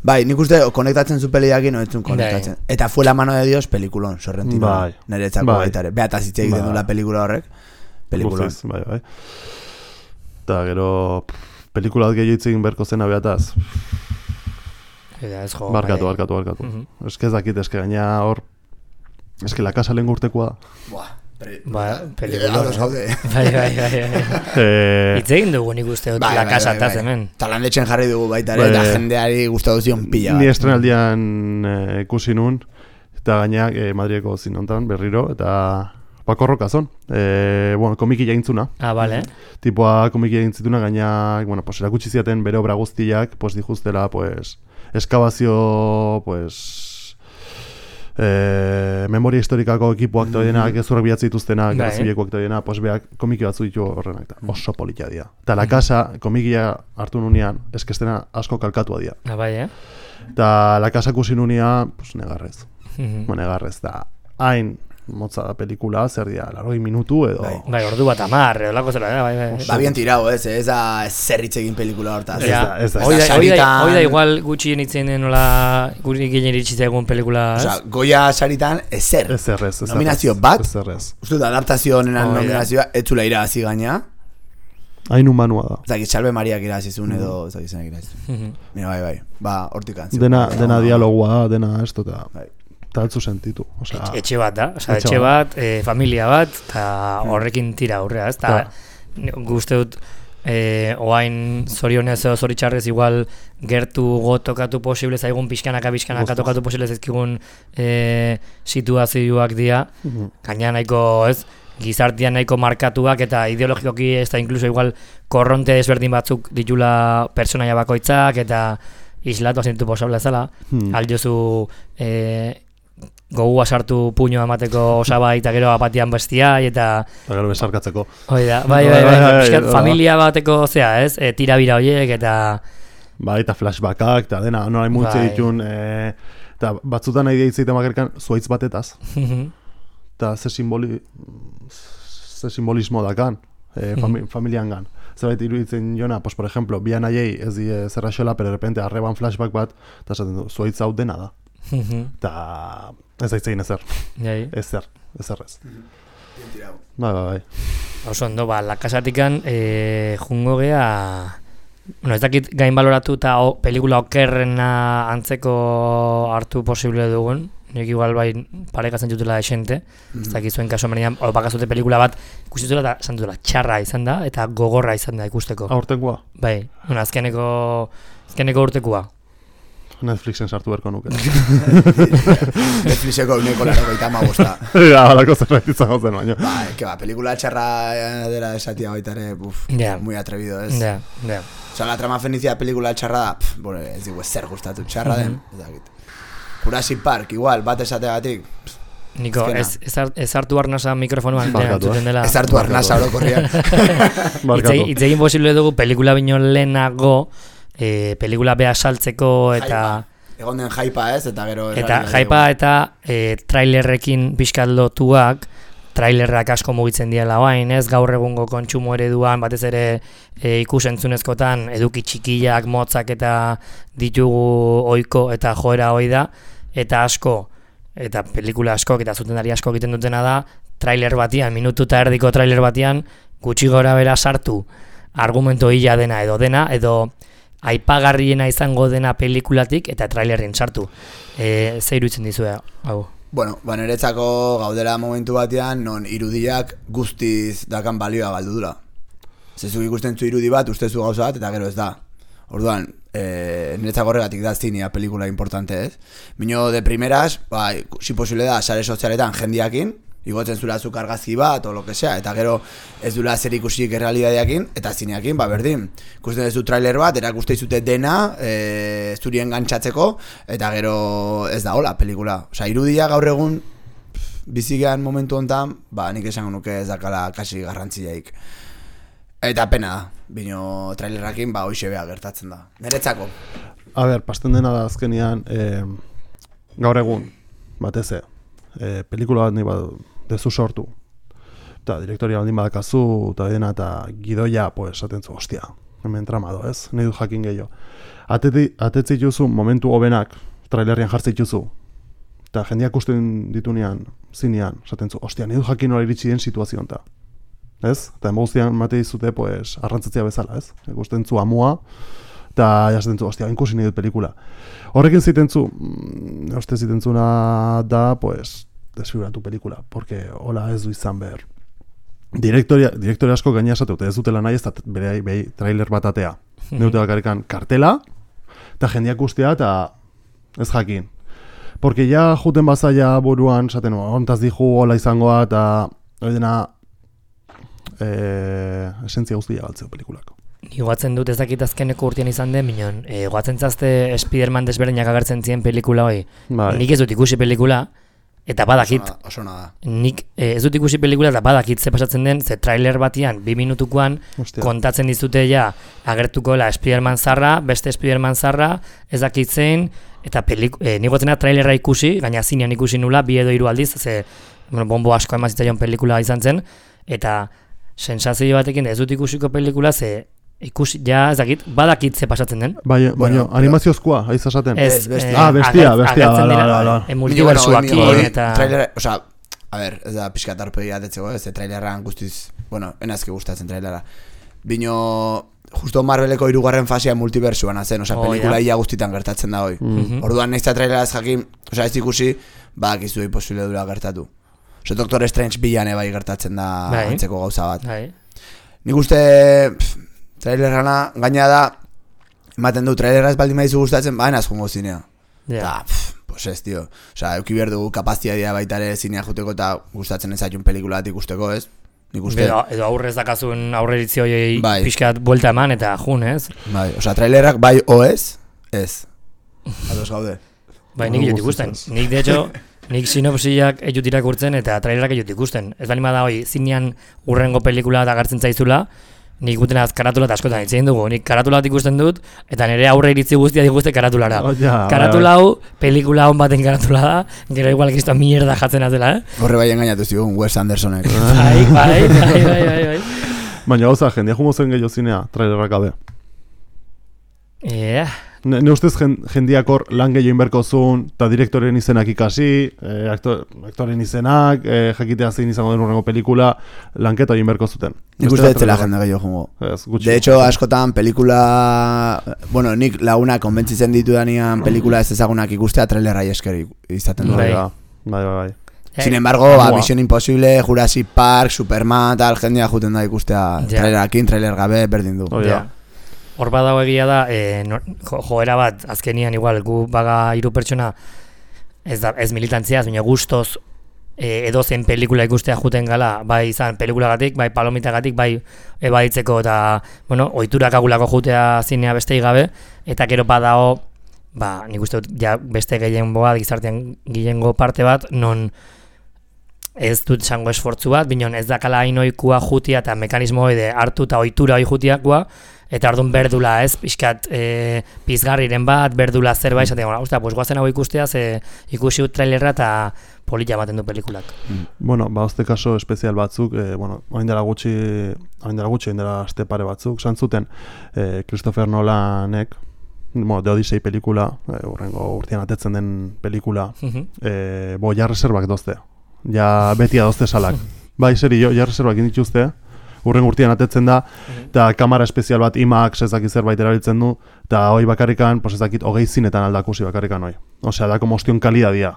[SPEAKER 2] Bai, nik uste konektatzen zu peliakin, no etzun konektatzen. Eta fue la mano de Dios pelikulon, Sorrentino.
[SPEAKER 3] Bai.
[SPEAKER 2] Niretzako
[SPEAKER 3] Bai.
[SPEAKER 2] baita ere. Beataz hitz egiten
[SPEAKER 3] Bai.
[SPEAKER 2] du la pelikula horrek. Pelikulon.
[SPEAKER 3] Guztiz, bai, bai. Eta gero, pff, pelikula bat gehiago hitz egin beharko zena beataz.
[SPEAKER 1] Eta ez jo.
[SPEAKER 3] Barkatu,
[SPEAKER 1] bai.
[SPEAKER 3] barkatu, barkatu.
[SPEAKER 1] Mhm.
[SPEAKER 3] Eske ez dakit, eske gaina hor, eske la casa lehen urtekoa da.
[SPEAKER 2] Buah, peli-
[SPEAKER 1] Ba,
[SPEAKER 2] Eh,
[SPEAKER 1] pelikula.
[SPEAKER 2] ados gaude.
[SPEAKER 1] Bai, bai, bai, bai.
[SPEAKER 3] Eh,
[SPEAKER 1] Hitz egin dugu nik uste dut
[SPEAKER 2] Bai,
[SPEAKER 1] la
[SPEAKER 2] bai,
[SPEAKER 1] casa
[SPEAKER 2] bai,
[SPEAKER 1] taz
[SPEAKER 2] bai.
[SPEAKER 1] hemen.
[SPEAKER 2] Eta landetxen jarri dugu baita ere,
[SPEAKER 3] Bai.
[SPEAKER 2] eta jendeari gustatu zion pila
[SPEAKER 3] Ni
[SPEAKER 2] bat.
[SPEAKER 3] estrenaldian eh, ikusi nun, eta gaina eh, Madrileko zinontan berriro, eta Paco Rocazon, eh, bueno, komiki jaintzuna.
[SPEAKER 1] Ah, vale.
[SPEAKER 3] Tipoa komiki jaintzituna, gaina, bueno, pues erakutsi ziaten bere obra guztiak, pues dijuztela, pues, eskabazio, pues, eh, memoria historikako ekipoak mm -hmm. gezurrak bilatzi dituztenak,
[SPEAKER 1] Bai.
[SPEAKER 3] zilekoak eta pues beak komiki batzu ditu horrenak, eta oso politia dira. Eta la casa, komikia hartu nunean, eskestena asko kalkatua dira.
[SPEAKER 1] Ah, bai, eh?
[SPEAKER 3] Eta la casa ikusi nunean, pues negarrez.
[SPEAKER 1] Mhm.
[SPEAKER 3] Bueno, negarrez, da hain motza da pelikula, zer dira, largoi minutu edo...
[SPEAKER 2] Bai.
[SPEAKER 1] Bai, ordu bat amar, olako zela, da, bai, bai.
[SPEAKER 2] Ba, bien tirau, ez, ez da zerritz egin pelikula hortaz.
[SPEAKER 3] Ez
[SPEAKER 1] Ja,
[SPEAKER 3] da, ez da.
[SPEAKER 1] hoi da,
[SPEAKER 2] Ez da
[SPEAKER 1] hoi da,
[SPEAKER 2] saritan-
[SPEAKER 1] hoi da igual gutxien itzen den nola guri ginen iritsi zaigun pelikula,
[SPEAKER 2] Osa,
[SPEAKER 1] ez?
[SPEAKER 2] Goya saritan ezer.
[SPEAKER 3] Ez errez, ez
[SPEAKER 2] Nominazio bat?
[SPEAKER 3] Ez errez.
[SPEAKER 2] Uste dut, adaptazio honenan
[SPEAKER 1] Hoi da.
[SPEAKER 2] nominazioa, etzula irabazi gaina.
[SPEAKER 3] Hain humanua da.
[SPEAKER 2] Ez dakit, Salve Mariak irabazizun edo, ez dakit zenak irabazizun.
[SPEAKER 1] Mhm.
[SPEAKER 2] Mira, bai, bai, ba, hortik antzio.
[SPEAKER 3] Dena, dena dialogua da, dena esto, eta
[SPEAKER 2] Bai.
[SPEAKER 3] eta altzu sentitu. Osea,
[SPEAKER 1] Etxe- Etxe bat da, osea,
[SPEAKER 3] Etxe
[SPEAKER 1] etxe bat, eh, familia bat, eta
[SPEAKER 2] Hmm.
[SPEAKER 1] horrekin tira aurrea, ez?
[SPEAKER 3] Claro.
[SPEAKER 1] Eta guzti dut, eh, oain zorionez edo zoritxarrez igual gertu gotokatu posible zaigun pixkanaka pixkanaka
[SPEAKER 3] Guztiz.
[SPEAKER 1] tokatu posible zaizkigun eh, situazioak dira,
[SPEAKER 3] mhm.
[SPEAKER 1] gaina nahiko, ez? Gizartean nahiko markatuak eta ideologikoki ez da inkluso igual korronte desberdin batzuk ditula pertsonaia bakoitzak eta islatu azintu posable zela.
[SPEAKER 3] Hmm.
[SPEAKER 1] Aldiozu eh, gogua sartu puñoa emateko osaba eta gero apatian bestia eta
[SPEAKER 3] Eta gero besarkatzeko.
[SPEAKER 1] hoi da, bai, bai,
[SPEAKER 3] Bai,
[SPEAKER 1] bai,
[SPEAKER 3] bai, bai,
[SPEAKER 1] pixkat
[SPEAKER 3] bai.
[SPEAKER 1] familia bateko zea, ez? E, tirabira horiek eta
[SPEAKER 3] Bai, eta flashbackak, eta dena, nola multze
[SPEAKER 1] Bai.
[SPEAKER 3] ditun, e, eta batzutan nahi deitzeiten bakarkan zuaitz batetaz. Eta ze simboli, ze simbolismo dakan, e, fami, familian gan. Zerbait iruditzen jona, pues, por ejemplo, bian aiei ez die zerra xola, pero de repente arreban flashback bat, eta esaten du, zuaitz hau dena da. Eta ez daitzein ezer,
[SPEAKER 1] Jai.
[SPEAKER 3] ezer, ezer ez.
[SPEAKER 2] Bien tirau.
[SPEAKER 3] Bai, bai, bai.
[SPEAKER 1] Oso ondo, ba, lakasatikan e, jungo gea, bueno, ez dakit gain baloratu eta o, pelikula okerrena antzeko hartu posible dugun, nik igual bai parekatzen dutela esente, ez dakit zuen kaso menean, bakazute pelikula bat ikusi dutela eta esan dutela txarra izan da eta gogorra izan da ikusteko.
[SPEAKER 3] Aurtengoa,
[SPEAKER 1] Bai, bueno, azkeneko, azkeneko urtekoa.
[SPEAKER 3] Netflixen sartu berko nuke.
[SPEAKER 2] Netflixeko uneko laro gaita amabosta.
[SPEAKER 3] Ja, halako zerbait izango zen, baina.
[SPEAKER 2] Ba, que ba, pelikula txarra eh, dela esatia baita ere, buf,
[SPEAKER 1] Ja.
[SPEAKER 2] muy atrevido, ez?
[SPEAKER 1] Ja, ja.
[SPEAKER 2] Osa, la trama fenicia pelikula txarra da, pff, bueno, ez digu ezer gustatu txarra den, ez dakit. Jurassic Park, igual, bat esateagatik, pff,
[SPEAKER 1] Niko,
[SPEAKER 2] Azkena.
[SPEAKER 1] ez, ez, hart- ez hartu arnasa mikrofonuan
[SPEAKER 3] Barkatu,
[SPEAKER 1] entzuten dela.
[SPEAKER 2] ez hartu arnasa orokorrian.
[SPEAKER 3] Barkatu.
[SPEAKER 1] Hitz egin posible dugu pelikula bino lehenago, e, pelikula beha saltzeko eta
[SPEAKER 2] Egon den jaipa ez, eta gero...
[SPEAKER 1] eta
[SPEAKER 2] erabili
[SPEAKER 1] jaipa
[SPEAKER 2] dugu.
[SPEAKER 1] eta e, trailerrekin pixkat lotuak, trailerrak asko mugitzen diela orain, ez? Gaur egungo kontsumo ereduan, batez ere e, ikusentzunezkotan eduki txikiak, motzak eta ditugu ohiko eta joera hoi da, eta asko, eta pelikula askok eta zutendari asko egiten dutena da, trailer batian, minutu eta erdiko trailer batian, gutxi gora bera sartu argumento hila dena edo dena, edo aipagarriena izango dena pelikulatik eta trailerren sartu. E, ze iruditzen dizue, hau?
[SPEAKER 2] Bueno, ba, niretzako gaudela momentu batean, non irudiak guztiz dakan balioa galdu dula. Zezuk ikusten zu irudi bat, ustezu gauza bat, eta gero ez da. Orduan, e, niretzako horregatik da zinea pelikula importante ez. Bino de primeras, ba, si posible da, sare sozialetan jendiakin, Igotzen zula zuk argazki bat, o lo que sea, eta gero ez dula zer ikusik errealidadeakin, eta zineakin, ba berdin. Ikusten duzu trailer bat, erakuste izute dena, e, zurien gantxatzeko, eta gero ez da hola pelikula. Osa, irudia gaur egun, bizigean momentu honetan, ba, nik esango nuke ez dakala kasi garrantziaik. Eta pena da, bino trailerrakin, ba, hoxe beha gertatzen da. Neretzako.
[SPEAKER 3] A ber, pasten dena da azkenian, e, gaur egun, batez e, pelikula bat nahi bat dezu sortu. Eta direktoria baldin badakazu, eta dena, eta gidoia, pues, atentzu, hostia, hemen tramado, ez? Nahi du jakin gehiago. Atetzi juzu momentu hobenak, trailerrian jartzi juzu, eta jendeak usten ditunean, zinean, atentzu, hostia, nahi du jakin hori iritsi den situazioan, eta. Ez? Eta emozioan mate dizute, pues, arrantzatzea bezala, ez? Ikusten zu amua, eta jasten zu, hostia, inkusi nahi dut pelikula. Horrekin ziten zu, mm, uste ziten zuna da, pues, desfiguratu pelikula, porque hola ez du izan behar. Direktoria, direktoria asko gaina esateute, ez dutela nahi ez da bere behi trailer bat atea. Mm-hmm. Neute bakarrikan kartela, eta jendeak ustea, eta ez jakin. Porque ja juten bazaia buruan, esaten, ontaz dihu hola izangoa, eta hori dena, e, esentzia guztia galtzeo pelikulako.
[SPEAKER 1] Ni goatzen dut ez dakit azkeneko urtean izan den, minon, e, goatzen zazte Spiderman desberdinak agertzen ziren pelikula hoi. Bai. Nik ez dut ikusi pelikula, eta badakit.
[SPEAKER 2] Oso nada.
[SPEAKER 1] Nik e, ez dut ikusi pelikula eta badakit ze pasatzen den, ze trailer batian, bi minutukoan, Hostia. Kontatzen dizute ja, agertuko la Spiderman zarra, beste Spiderman zarra, ez dakit zein, eta peliku, e, nik goatzena trailerra ikusi, gaina zinean ikusi nula, bi edo hiru aldiz, ze bueno, bombo asko emazitzaion pelikula izan zen, eta sensazio batekin ez dut ikusiko pelikula, ze ikusi, ja, ez dakit, badakit ze pasatzen den.
[SPEAKER 3] Bai, baina bueno, animaziozkoa, haiz esaten.
[SPEAKER 1] Ez,
[SPEAKER 3] bestia. Ah, bestia, bestia,
[SPEAKER 1] bala, bala. Multiversuakin, eta...
[SPEAKER 2] Trailer, oza, a ber, ez da pixka tarpegi atetzeko, ez da trailerran guztiz, bueno, enazke gustatzen trailera. Bino, justo Marveleko hirugarren fasea multiversuan azen, oza, oh, pelikula ia guztitan gertatzen da hoi. Mm-hmm. Orduan nahiz da trailera ez jakin, oza, ez ikusi, badakizu imposible dura gertatu. Oza, Doctor Strange bilane bai gertatzen da bai. Antzeko gauza bat. Bai. Nik uste... Pff, trailerrana, gaina da, ematen du, trailerra ez baldin maizu gustatzen, baina ez jongo zinea. Yeah. Ta, pff, pues ez, tio. Osa, euki behar dugu kapazitatea baitare zinea juteko eta gustatzen ez aiun pelikula bat ikusteko, ez? Nik uste... Edo, edo aurrez dakazun aurreritzi horiei bai. Pixkat buelta eman eta jun, ez? Bai, osa, trailerrak bai o ez, ez. Ados gaude. Bai, nik jut ikusten. Nik, de hecho, nik sinopsiak ejut irakurtzen eta trailerrak ejut ikusten. Ez bali da hoi, zinean urrengo pelikula eta gartzen zaizula, nik guten az karatula eta askotan itzein dugu, nik karatula bat ikusten dut, eta nire aurre iritzi guztia diguzte karatulara. Oh, ja, karatula hau, pelikula hon baten karatula da, gero igual kristo mierda jatzen azela, eh? Horre bai engainatu zigun, Wes Andersonek. Bai, bai, bai, bai, bai, bai.
[SPEAKER 3] Baina gauza, jendia jungo zen gehiago zinea, trailerrak gabe.
[SPEAKER 1] Yeah.
[SPEAKER 3] Ne, ne ustez jendiak hor lan gehiago inberko zuen, eta direktoren izenak ikasi, eh, aktor, aktoren izenak, eh, jakitea zein izango den urrengo pelikula, lanketa inberko zuten.
[SPEAKER 2] Nik uste etzela jende gehiago jungo. De hecho, askotan pelikula, bueno, nik laguna konbentzitzen ditu danian pelikula ez ezagunak ikustea trailerra esker izaten du.
[SPEAKER 3] Bai, bai, bai, bai.
[SPEAKER 2] Sin embargo, ba, Mission Impossible, Jurassic Park, Superman, tal, jendea juten da ikustea trailerakin, trailer gabe, berdin du.
[SPEAKER 3] Oh, ja.
[SPEAKER 1] Hor badago egia da, e, no, jo, joera bat, azkenian igual, gu baga hiru pertsona, ez, da, ez militantziaz, baina gustoz e, edozen pelikula ikustea juten gala, bai izan pelikulagatik, bai palomitagatik, bai ebaditzeko eta, bueno, ohiturak agulako jutea zinea bestei gabe, eta gero badago, ba, nik uste dut, ja, beste gehiengoa, gizartean gehiengo parte bat, non ez dut zango esfortzu bat, binon ez dakala hainoikua jutia eta mekanismo hori de hartu eta ohitura hori jutiakua, eta orduan berdula, ez, pixkat e, pizgarriren bat, berdula zerbait, esaten, ostia, pues guazen hau ikustea, ze ikusi ut trailerra eta polita ematen du pelikulak.
[SPEAKER 3] Mm. Bueno, ba, azte kaso espezial batzuk, e, bueno, hain dela gutxi, hain dela gutxi, hain dela azte pare batzuk, santzuten, e, Christopher Nolanek, bueno, The Odyssey pelikula, e, urrengo urtean atetzen den pelikula, mm-hmm. e, bo, ja reservak dozte, ja beti adozte salak. Bai, seri, jo, ja reservak indituzte, urren urtean atetzen da, eta mm-hmm. kamera espezial bat IMAX ezakit zerbait erabiltzen du, eta hoi bakarrikan, pues ezakit hogei zinetan aldakusi bakarrikan hoi. Osea, da como ostion kalidadia.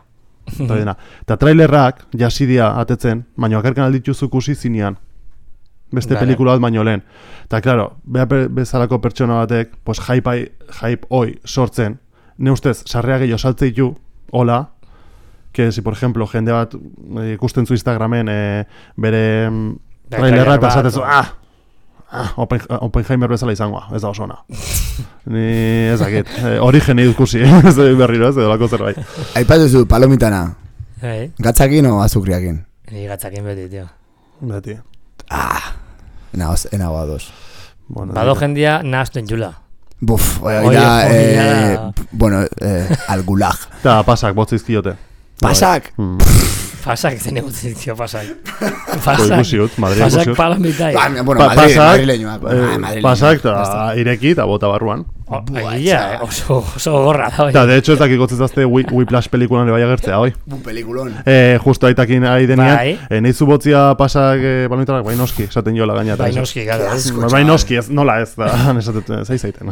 [SPEAKER 3] Eta trailerrak jasidia atetzen, baina bakarrikan aldituzu kusi zinean. Beste vale. Pelikula bat baino lehen. Eta, klaro, beha bezalako pertsona batek, pues hype, hype hoi sortzen, ne ustez, sarrea gehiago saltzeitu, hola, que si, por ejemplo, jende bat eh, ikusten zu Instagramen eh, bere mm,
[SPEAKER 1] Bai,
[SPEAKER 3] trailerra eta
[SPEAKER 1] trailer
[SPEAKER 3] esaten zu,
[SPEAKER 1] bat,
[SPEAKER 3] ah, ah, Open, Oppenheimer bezala izangoa, ez da oso ona. Ni ez dakit, eh, origen ikusi, ez da berriro, ez da lako zerbait.
[SPEAKER 2] Aipatuzu palomitana,
[SPEAKER 1] Bai.
[SPEAKER 2] gatzakin o azukriakin?
[SPEAKER 1] Ni gatzakin beti, tio.
[SPEAKER 3] Beti.
[SPEAKER 2] Ah, nahoz, enagoa dos.
[SPEAKER 3] Bueno,
[SPEAKER 1] Bado
[SPEAKER 3] nire-
[SPEAKER 1] jendia nahazten jula.
[SPEAKER 2] Buf,
[SPEAKER 1] Oye,
[SPEAKER 2] oida,
[SPEAKER 1] oye,
[SPEAKER 2] eh,
[SPEAKER 1] ya.
[SPEAKER 2] bueno, eh, al gulag.
[SPEAKER 3] Eta pasak, botzizkiote.
[SPEAKER 2] Pasak!
[SPEAKER 3] Mm.
[SPEAKER 1] Pasak zen egutzen zio, pasak.
[SPEAKER 3] Jo,
[SPEAKER 1] Pasak,
[SPEAKER 3] ikusi dut, Madrid
[SPEAKER 1] pasak
[SPEAKER 3] ikusi dut.
[SPEAKER 1] palomitai.
[SPEAKER 2] Ba, bueno,
[SPEAKER 3] Pa-
[SPEAKER 2] Madrid,
[SPEAKER 3] pasak,
[SPEAKER 2] madrileñoak.
[SPEAKER 3] eh,
[SPEAKER 2] Ah, madrileñoak.
[SPEAKER 3] pasak
[SPEAKER 2] Ya
[SPEAKER 3] eta
[SPEAKER 2] está.
[SPEAKER 3] ireki eta bota barruan.
[SPEAKER 1] Oh,
[SPEAKER 2] Buah,
[SPEAKER 1] egia,
[SPEAKER 2] chaval.
[SPEAKER 1] eh, oso, oso gorra da,
[SPEAKER 3] Eta
[SPEAKER 1] oi.
[SPEAKER 3] de hecho ez dakik gotzezazte Whiplash pelikulan bai agertzea, hoi.
[SPEAKER 2] Un peliculón.
[SPEAKER 3] Eh, justo aitakin ari denean,
[SPEAKER 1] Bai.
[SPEAKER 3] eh, nahi zu botzia pasak eh, balonitarak, bai noski, esaten jola gaina.
[SPEAKER 1] Bai noski, gara. ez.
[SPEAKER 2] Asko,
[SPEAKER 3] Bai
[SPEAKER 2] chaval.
[SPEAKER 3] noski, ez, nola ez, da, esaten, zai zaiten.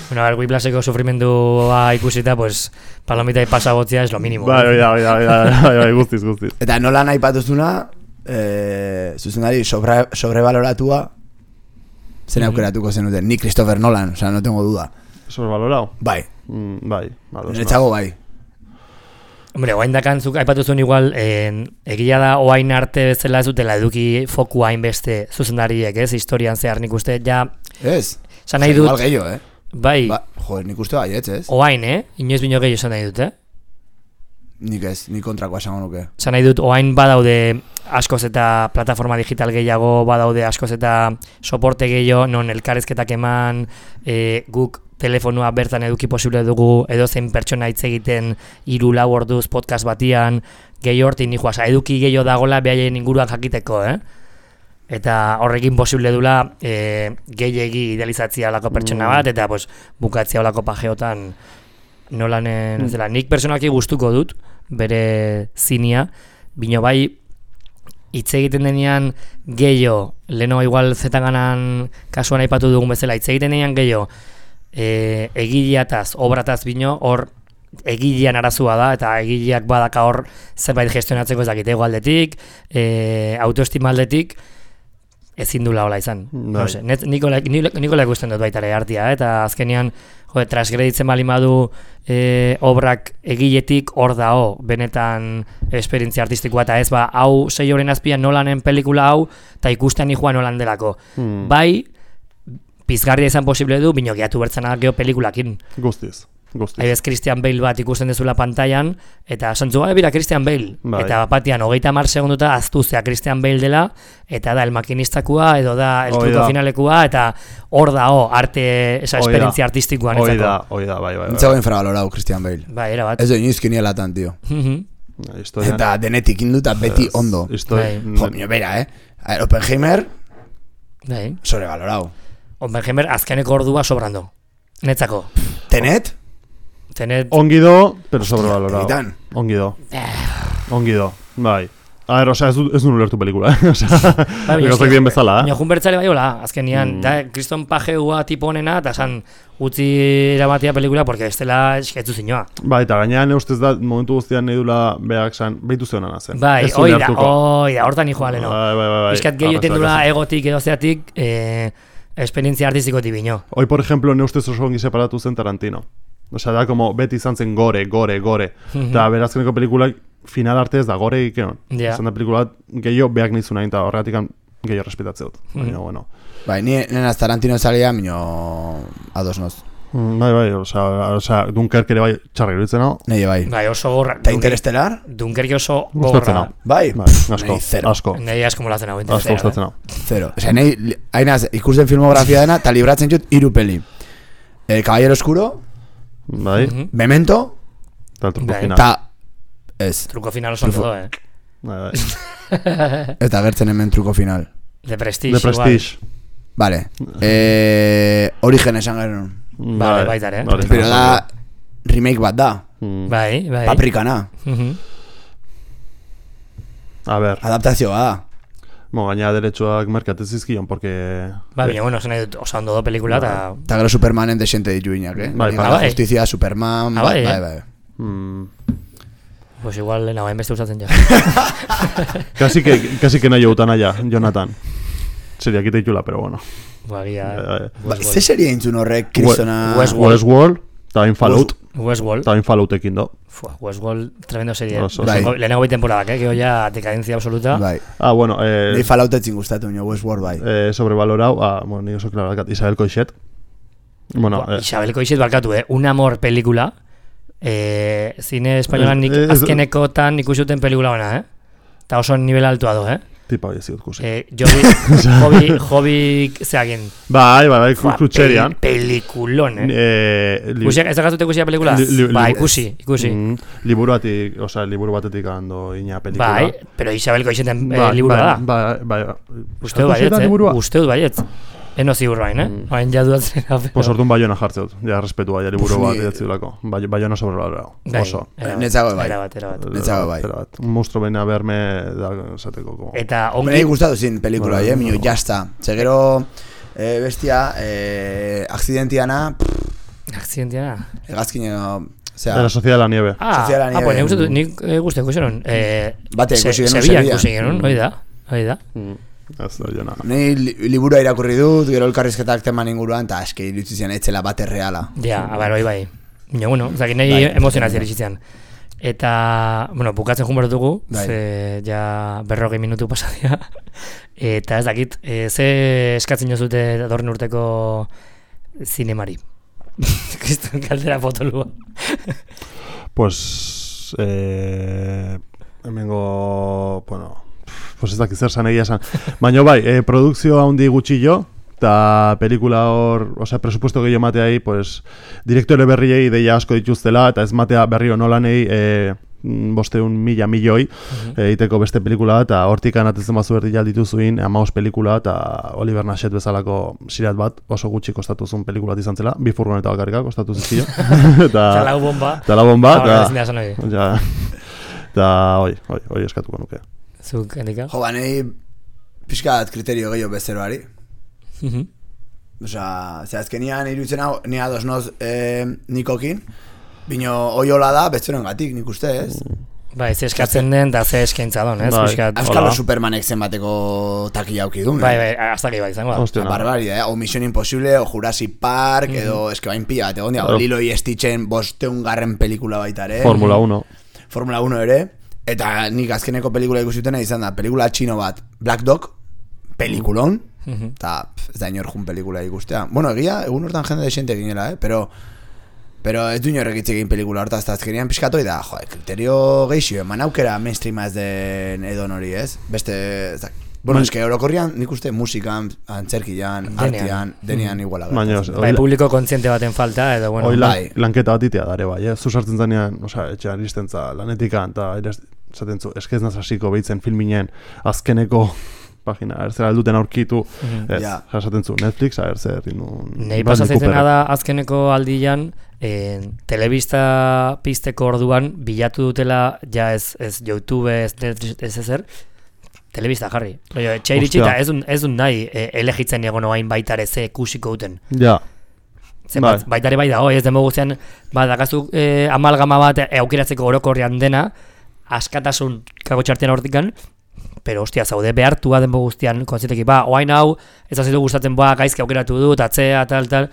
[SPEAKER 1] Bueno, a ver, Whiplasheko sufrimendua ikusita, pues, palomita y pasabotzia es lo mínimo.
[SPEAKER 3] Bai, bai, bai, bai, bai, bai, bai, guztiz, guztiz.
[SPEAKER 2] Eta nola nahi patuzuna, eh, zuzendari sobre, sobrevaloratua, zen aukeratuko zenuten. Ni Christopher Nolan, o sea, no tengo duda.
[SPEAKER 3] Sobrevalorau?
[SPEAKER 2] Bai,
[SPEAKER 3] Mm, bai, ados.
[SPEAKER 2] niretzago bai.
[SPEAKER 1] Hombre, oain dakantzuk aipatu zuen igual, en, egia da oain arte bezala ez dutela eduki foku hainbeste zuzendariek, ez? Historian zehar nik uste, ja,
[SPEAKER 2] Ez?
[SPEAKER 1] esan nahi dut,
[SPEAKER 2] Igual gehiago, eh?
[SPEAKER 1] bai,
[SPEAKER 2] Ba, joder, nik uste baietz, ez?
[SPEAKER 1] oain, eh? Inoiz bino gehiago esan nahi dut, eh?
[SPEAKER 2] Nik ez, nik kontrakoa esango nuke.
[SPEAKER 1] Esan nahi dut, oain badaude askoz eta plataforma digital gehiago, badaude askoz eta soporte gehiago, non elkarrezketak eman, e, guk telefonua bertan eduki posible dugu, edo zein pertsona hitz egiten hiru lau orduz podcast batian, gehiago hortin nijoa, oza, eduki gehiago dagola behaien inguruan jakiteko, eh? Eta horrekin posible dula e, gehiegi idealizatzia olako pertsona
[SPEAKER 3] Mm.
[SPEAKER 1] bat, eta pues, bukatzia olako pajeotan nolanen, ez dela, nik personalki gustuko dut, bere zinia, bino bai, hitz egiten denean gehiago, leno igual zetaganan kasuan aipatu dugun bezala, hitz egiten denean gehiago, e, egileataz, obrataz bino, hor egilean arazua da, eta egileak badaka hor zerbait gestionatzeko ez dakite aldetik, e, autoestima aldetik, ezin dula hola izan.
[SPEAKER 3] Bai.
[SPEAKER 1] No sé, net, Nikola, Nikola ikusten dut baita ere artia, eh? Eta azkenean, jo, transgreditzen bali badu e, obrak egiletik hor dao, benetan esperientzia artistikoa, eta ez ba, hau sei horren azpian Nolanen pelikula hau, eta ikusten joan Nolan delako.
[SPEAKER 3] Hmm.
[SPEAKER 1] Bai, pizgarria izan posible du, bino gehiatu bertzena geho pelikulakin.
[SPEAKER 3] Guztiz, guztiz.
[SPEAKER 1] Haibez Christian Bale bat ikusten dezula pantailan, eta santzu gara bira Christian Bale.
[SPEAKER 3] Bai.
[SPEAKER 1] Eta batian, hogeita mar segunduta aztuzea Christian Bale dela, eta da el makinistakua, edo da el
[SPEAKER 3] Hoi
[SPEAKER 1] truko
[SPEAKER 3] da.
[SPEAKER 1] finalekua, eta hor da, ho, arte, esa
[SPEAKER 3] Hoi da.
[SPEAKER 1] esperientzia artistikoa
[SPEAKER 3] Hoi
[SPEAKER 1] netzako.
[SPEAKER 3] da, hoi da, bai, bai, bai.
[SPEAKER 2] Nintzago infravalorau, Christian Bale.
[SPEAKER 1] Bai, era bat.
[SPEAKER 2] Ez doi inoiz kinielatan, tio.
[SPEAKER 1] Mhm.
[SPEAKER 3] Historian,
[SPEAKER 2] Eta denetik induta beti ondo.
[SPEAKER 3] Histori-
[SPEAKER 1] Bai.
[SPEAKER 2] Jo, mio, bera, eh? A ver, Oppenheimer,
[SPEAKER 1] Bai.
[SPEAKER 2] sobrevalorau.
[SPEAKER 1] Oppenheimer azkeneko ordua sobrando. Netzako.
[SPEAKER 2] Tenet?
[SPEAKER 1] Tenet,
[SPEAKER 3] Ongi do, pero sobrevalorado.
[SPEAKER 2] Egitan.
[SPEAKER 3] Ongi do. Ongi do, bai. A ver, osea, ez du, ez du ulertu pelikula, eh? Osea,
[SPEAKER 1] bai,
[SPEAKER 3] gauzak bien bezala,
[SPEAKER 1] baina
[SPEAKER 3] eh?
[SPEAKER 1] jun bertzale bai hola, azkenian,
[SPEAKER 3] Mm.
[SPEAKER 1] da, Kriston Pajeua tipo honena, eta esan utzi eramatia pelikula, porque ez dela esketzu zinua.
[SPEAKER 3] Bai, eta gainean ustez da, momentu guztian nahi dula beak san, behitu zeonana zen.
[SPEAKER 1] Bai,
[SPEAKER 3] Ez du
[SPEAKER 1] hoi da,
[SPEAKER 3] ulertuko.
[SPEAKER 1] hoi da, hortan hijoa leno.
[SPEAKER 3] Bai, bai, bai, bai.
[SPEAKER 1] Piskat gehiago
[SPEAKER 3] Arrazoak
[SPEAKER 1] tendula
[SPEAKER 3] hasi.
[SPEAKER 1] egotik edo zeatik, eh, esperientzia artistikotik bino.
[SPEAKER 3] Hoi, por ejemplo, ne ustez oso ongi separatu zen Tarantino. Osea, da, como beti izan zen gore, gore, gore.
[SPEAKER 1] Mhm.
[SPEAKER 3] Eta berazkeneko pelikulak final arte ez da gore ikeon.
[SPEAKER 1] Ja.
[SPEAKER 3] Izan da pelikula bat gehiago beak nizu nahi, eta horregatik gehiago respetatzea dut.
[SPEAKER 1] Mhm.
[SPEAKER 3] Baina, bueno.
[SPEAKER 2] Bai, ni nenaz Tarantino zalia, mino ados noz.
[SPEAKER 3] Mm, Bai, bai, osea, osea, Dunkirk ere bai txarra iruditzen hau.
[SPEAKER 2] Nei bai.
[SPEAKER 1] Bai, oso gorra.
[SPEAKER 2] Eta Interestelar?
[SPEAKER 1] Dunkerke oso
[SPEAKER 3] Gustatzen
[SPEAKER 1] gorra.
[SPEAKER 3] hau.
[SPEAKER 2] Bai.
[SPEAKER 3] Bai, asko,
[SPEAKER 2] Nei zero.
[SPEAKER 3] asko.
[SPEAKER 1] Nei asko molatzen hau.
[SPEAKER 3] Asko
[SPEAKER 1] Interestelar,
[SPEAKER 3] gustatzen
[SPEAKER 1] eh?
[SPEAKER 3] hau.
[SPEAKER 2] Zero. Osea, nei, li- hainaz, ikusten filmografia dena, eta libratzen jut hiru peli. El Caballero Oscuro,
[SPEAKER 3] Bai,
[SPEAKER 1] Mhm.
[SPEAKER 2] Memento,
[SPEAKER 3] eta el truko
[SPEAKER 1] Bai.
[SPEAKER 3] final.
[SPEAKER 2] eta ez.
[SPEAKER 1] Truko final oso ondo, eh?
[SPEAKER 3] Bai, bai.
[SPEAKER 2] Eta gertzen hemen truko final.
[SPEAKER 1] De Prestige,
[SPEAKER 3] The Prestige.
[SPEAKER 2] Vale. Eh, Origen esan genuen.
[SPEAKER 1] Vale, baita ere.
[SPEAKER 3] Vale,
[SPEAKER 2] Pero da remake bat da.
[SPEAKER 3] Mm.
[SPEAKER 1] Bai, bai.
[SPEAKER 2] Paprikana.
[SPEAKER 1] Mhm.
[SPEAKER 3] A ver,
[SPEAKER 2] Adaptazioa da.
[SPEAKER 3] mo, gaina derechoak merkatez izkion, porque...
[SPEAKER 1] Bai, baina, bueno, esan nahi dut, oso ondo do pelikula, eta...
[SPEAKER 2] Eta gero Supermanen desente ditu inak, eh?
[SPEAKER 3] Bai,
[SPEAKER 2] Liga
[SPEAKER 1] bai.
[SPEAKER 2] da Justizia, Superman,
[SPEAKER 1] Ah,
[SPEAKER 2] bai,
[SPEAKER 1] bai,
[SPEAKER 2] bai,
[SPEAKER 1] eh?
[SPEAKER 2] bai.
[SPEAKER 3] Mm,
[SPEAKER 1] Pues igual, lehena, bain beste usatzen ja.
[SPEAKER 3] casi que, casi que nahi joutan aia, Jonathan. Seria kite itxula, pero bueno.
[SPEAKER 1] Bagia...
[SPEAKER 3] Eh,
[SPEAKER 2] Ba, ze serie intzun horrek, kristona...
[SPEAKER 1] Westworld.
[SPEAKER 3] Westworld, Eta hain Fallout.
[SPEAKER 1] Westworld.
[SPEAKER 3] Eta hain Falloutekin do.
[SPEAKER 1] Fua, Westworld, tremendo serie.
[SPEAKER 3] Oso,
[SPEAKER 2] bai.
[SPEAKER 1] Lehenengo bi temporadak, eh? Gero ja decadencia absoluta.
[SPEAKER 2] Bai.
[SPEAKER 3] Ah, bueno, eh...
[SPEAKER 2] Ni Falloutetzin gustatu, nio Westworld bai.
[SPEAKER 3] Eh, sobrevalorau, ah, bueno, ni oso klaro dakat, Isabel Coixet. Bueno,
[SPEAKER 1] Ba,
[SPEAKER 3] eh,
[SPEAKER 1] Isabel Coixet barkatu, eh? Un amor pelikula. Eh, zine espainolan nik
[SPEAKER 3] Ez- ez-
[SPEAKER 1] azkenekotan ikusi duten pelikula bana, eh? Eta oso nivel altua do, eh?
[SPEAKER 3] tipa hori ziut kusi.
[SPEAKER 1] Eh, Jobi, Jobi, Jobi, zeagin.
[SPEAKER 3] Bai, bai, bai,
[SPEAKER 1] Fua,
[SPEAKER 3] krutxerian.
[SPEAKER 1] pel- Pelikulon, eh?
[SPEAKER 3] Eh, li-
[SPEAKER 1] Ikusiak, ez da gazute ikusia pelikula?
[SPEAKER 3] Li- li-
[SPEAKER 1] Ba,
[SPEAKER 3] li-
[SPEAKER 1] ikusi, ikusi.
[SPEAKER 3] Mm, liburu batik, osea, liburu batetik ando ina pelikula.
[SPEAKER 1] Bai, pero Isabel Coixeten eh,
[SPEAKER 3] Bai,
[SPEAKER 1] liburua
[SPEAKER 3] bai,
[SPEAKER 1] da.
[SPEAKER 3] Bai, bai, bai.
[SPEAKER 1] Uste dut baietz,
[SPEAKER 3] Coixeta
[SPEAKER 1] eh?
[SPEAKER 3] liburua?
[SPEAKER 1] Uste dut baietz. Eno ziur bain, eh?
[SPEAKER 3] Mm.
[SPEAKER 1] Bain jaduatzen.
[SPEAKER 3] Pues orduan Baiona jartzeut, ja, respetua, ja, liburu
[SPEAKER 2] Puf,
[SPEAKER 3] bat
[SPEAKER 2] ni-
[SPEAKER 3] idatziulako. Bai, Baiona sobrevalorau,
[SPEAKER 1] Bai,
[SPEAKER 3] oso.
[SPEAKER 1] erabat,
[SPEAKER 2] Netzago bai.
[SPEAKER 1] Erabat, erabat.
[SPEAKER 2] Netzago bai.
[SPEAKER 3] Erabat, un monstruo baina berme da, esateko, como...
[SPEAKER 1] Eta
[SPEAKER 2] Hombre,
[SPEAKER 1] ongi...
[SPEAKER 2] gustatu zin pelikula,
[SPEAKER 3] Bueno,
[SPEAKER 2] eh, mino,
[SPEAKER 3] no.
[SPEAKER 2] jazta. Zegero, eh, bestia, eh, akzidentiana,
[SPEAKER 1] Akzidentia.
[SPEAKER 2] egazkineo,
[SPEAKER 3] De
[SPEAKER 2] osea,
[SPEAKER 3] la Sociedad de la Nieve.
[SPEAKER 1] Ah,
[SPEAKER 2] Soziala
[SPEAKER 1] ah,
[SPEAKER 2] nieve.
[SPEAKER 1] pues nik uste dut, nik eh, guzti ikusi non. Eh,
[SPEAKER 2] Bate
[SPEAKER 1] Se-
[SPEAKER 2] ikusi genuen
[SPEAKER 1] Sevilla
[SPEAKER 2] Sevilla.
[SPEAKER 1] ikusi genuen, hori da. Hori da.
[SPEAKER 3] Mm. Ez da, jona.
[SPEAKER 2] Ni li- liburua irakurri dut, gero elkarrizketak teman inguruan, eta eske iritsi zian etzela bate reala.
[SPEAKER 1] Ja, abar, hori bai. Baina, bueno, zaki nahi
[SPEAKER 2] Bai.
[SPEAKER 1] emozionazio eritzitzen. Eta, bueno, bukatzen jun dugu,
[SPEAKER 2] Bai.
[SPEAKER 1] ze ja berrogei minutu pasadia. Eta ez dakit, e, ze eskatzen jozute datorren urteko zinemari. Kriston kaldera potolua.
[SPEAKER 3] Pues, eh, hemengo, bueno, pues ez dakit zer zan egia esan. Baina bai, eh, produkzio handi gutxillo, eta pelikula hor, osea, presupuesto gehiago mateai, pues, direktore berriei ideia asko dituztela, eta ez matea berriro nolanei, eh, bosteun mila milioi egiteko beste pelikula, eta hortik anatetzen bazu berdi jaldituzuin hamabost pelikula, eta Oliver Nashet bezalako sirat bat, oso gutxi kostatuzun pelikula bat izan zela, bi furgoneta bakarrika kostatu zizkio.
[SPEAKER 1] Eta lau bomba.
[SPEAKER 3] Eta la bomba,
[SPEAKER 1] Eta
[SPEAKER 3] eta...
[SPEAKER 1] ezin da esan hori.
[SPEAKER 3] Ja, eta hoi, hoi, hoi eskatuko nuke.
[SPEAKER 1] Zuk, Endika?
[SPEAKER 2] Jo, ba, nahi pixkat kriterio gehiago bezeroari.
[SPEAKER 1] Mhm.
[SPEAKER 2] Osea, ze azkenian iruditzen hau, ni ados noz eh, nikokin, bino oiola da bezeroen gatik, nik uste ez.
[SPEAKER 1] Bai, ze eskatzen den, da ze eskaintza don, ez?
[SPEAKER 3] Bai.
[SPEAKER 1] Piskat.
[SPEAKER 2] Euskalo
[SPEAKER 3] Hola.
[SPEAKER 2] Supermanek zenbateko takia auki duen.
[SPEAKER 1] Bai, bai, hasta que bai izango da.
[SPEAKER 3] Hostia,
[SPEAKER 2] Barbaria, eh? O Mission Impossible, o Jurassic Park, edo eske bain pila, eta egon dia,
[SPEAKER 3] Claro.
[SPEAKER 2] Lilo y Stitchen bosteun garren pelikula baita ere.
[SPEAKER 3] Formula uno.
[SPEAKER 2] Formula uno ere. Eta nik azkeneko pelikula ikusitena izan da, pelikula txino bat, Black Dog, pelikulon,
[SPEAKER 1] Mhm.
[SPEAKER 2] eta ez da inor jun pelikula ikustea. Bueno, egia, egun hortan jende desente ginela, eh? Pero, pero ez du inorrek hitz egin pelikula hortaz, eta azkenian pixkatoi da, joe, kriterio geixio, eman aukera mainstreama ez den edon hori, ez? Beste, ez da, bueno, eske orokorrian nik uste musikan, antzerkian,
[SPEAKER 1] Denean.
[SPEAKER 2] artean, denean iguala.
[SPEAKER 3] Baina,
[SPEAKER 2] gertatzen.
[SPEAKER 1] Bai, publiko kontziente baten falta, edo, bueno,
[SPEAKER 3] Hoi lan,
[SPEAKER 2] bai.
[SPEAKER 3] lanketa bat itea dare bai, eh? Zu sartzen zanean, osea, etxean iristen za lanetikan, eta esaten zu, eskez naz hasiko behitzen filminen azkeneko pagina, erzera alduten aurkitu, ez,
[SPEAKER 2] Ja.
[SPEAKER 3] esaten zu, Netflix, erzer, inun...
[SPEAKER 1] Nei pasatzen da azkeneko aldian, eh, telebista pizteko orduan bilatu dutela, ja ez, ez YouTube, ez Netflix, ez ezer, telebista jarri. Oio, etxe iritsi
[SPEAKER 3] Ostia.
[SPEAKER 1] eta ez dun, ez dun nahi e, elegitzen egon oain baitare ze ikusiko duten.
[SPEAKER 3] Ja,
[SPEAKER 1] Zenbat,
[SPEAKER 3] Bai.
[SPEAKER 1] baitare bai dago, ez demo guztian, ba, dakazu e, amalgama bat e, aukeratzeko orokorrean dena, askatasun kagotxartean hortikan, pero hostia, zaude behartua denbo guztian, konziteki, ba, oain hau, ez azitu gustatzen, ba, gaizki aukeratu dut, atzea, tal, tal,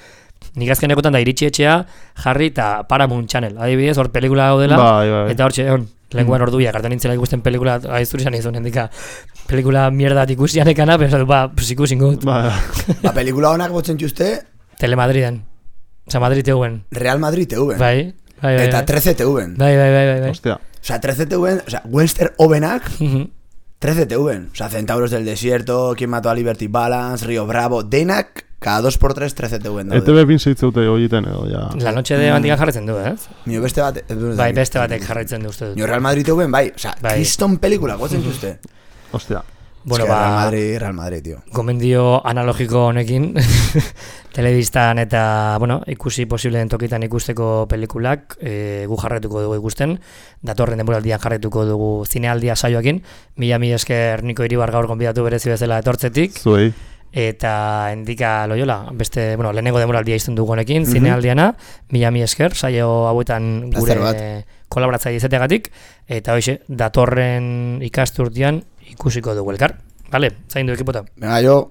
[SPEAKER 1] nik azkenekotan da iritsi etxea, jarri eta Paramount Channel, adibidez, hor pelikula gaudela,
[SPEAKER 3] bai, bai.
[SPEAKER 1] eta hortxe, hon, lenguan orduia, kartan nintzela ikusten pelikula, aizturi zan izan, hendika, pelikula mierda bat ikusian ekana, pero, ba, pues ikusingo dut,
[SPEAKER 3] Ba,
[SPEAKER 2] Ba, pelikula honak botzen txuste,
[SPEAKER 1] Telemadriden, Osa, Madrid teuen,
[SPEAKER 2] Real Madrid T V.
[SPEAKER 1] bai, bai, bai,
[SPEAKER 2] Eta
[SPEAKER 1] bai.
[SPEAKER 2] trece T V.
[SPEAKER 1] Bai, bai, bai, bai, bai.
[SPEAKER 3] Ostia,
[SPEAKER 2] Osea, trece T V, osea, Western Ovenak,
[SPEAKER 1] Mhm.
[SPEAKER 2] trece T V. Osea, Centauros del Desierto, Quien mató a Liberty Balance, Río Bravo, denak, cada dos por tres trece T V
[SPEAKER 3] E T
[SPEAKER 2] daude.
[SPEAKER 3] B bin zeitzeute horietan edo, ja.
[SPEAKER 1] La noche de bandikan jarretzen du, ez?
[SPEAKER 2] Nio beste bat...
[SPEAKER 1] Bai, beste batek jarraitzen du uste dut.
[SPEAKER 2] Nio Real Madrid T V, bai, osea,
[SPEAKER 1] Bai.
[SPEAKER 2] kriston pelikula gotzen zuzte.
[SPEAKER 3] Ostia.
[SPEAKER 1] Bueno,
[SPEAKER 2] Es que Real
[SPEAKER 1] ba,
[SPEAKER 2] Madrid, Real Madrid, tío.
[SPEAKER 1] gomendio analogiko honekin, telebistan eta, bueno, ikusi posible den tokitan ikusteko pelikulak, e, gu jarretuko dugu ikusten, datorren denboraldian jarretuko dugu zinealdia saioekin, mila mila esker Niko Iribar gaur gonbidatu berezi bezala etortzetik,
[SPEAKER 3] Zuei.
[SPEAKER 1] eta Endika Loyola, beste, bueno, lehenengo denboraldia izten dugu honekin, zinealdiana, mila mila esker, saio hauetan
[SPEAKER 2] Plazer bat.
[SPEAKER 1] gure kolaboratzaile izateagatik, eta hoxe, datorren ikasturtean ikusiko dugu elkar. Vale, zaindu ekipota.
[SPEAKER 2] Venga, yo...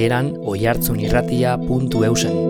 [SPEAKER 1] hasieran oihartzunirratia puntu eusen.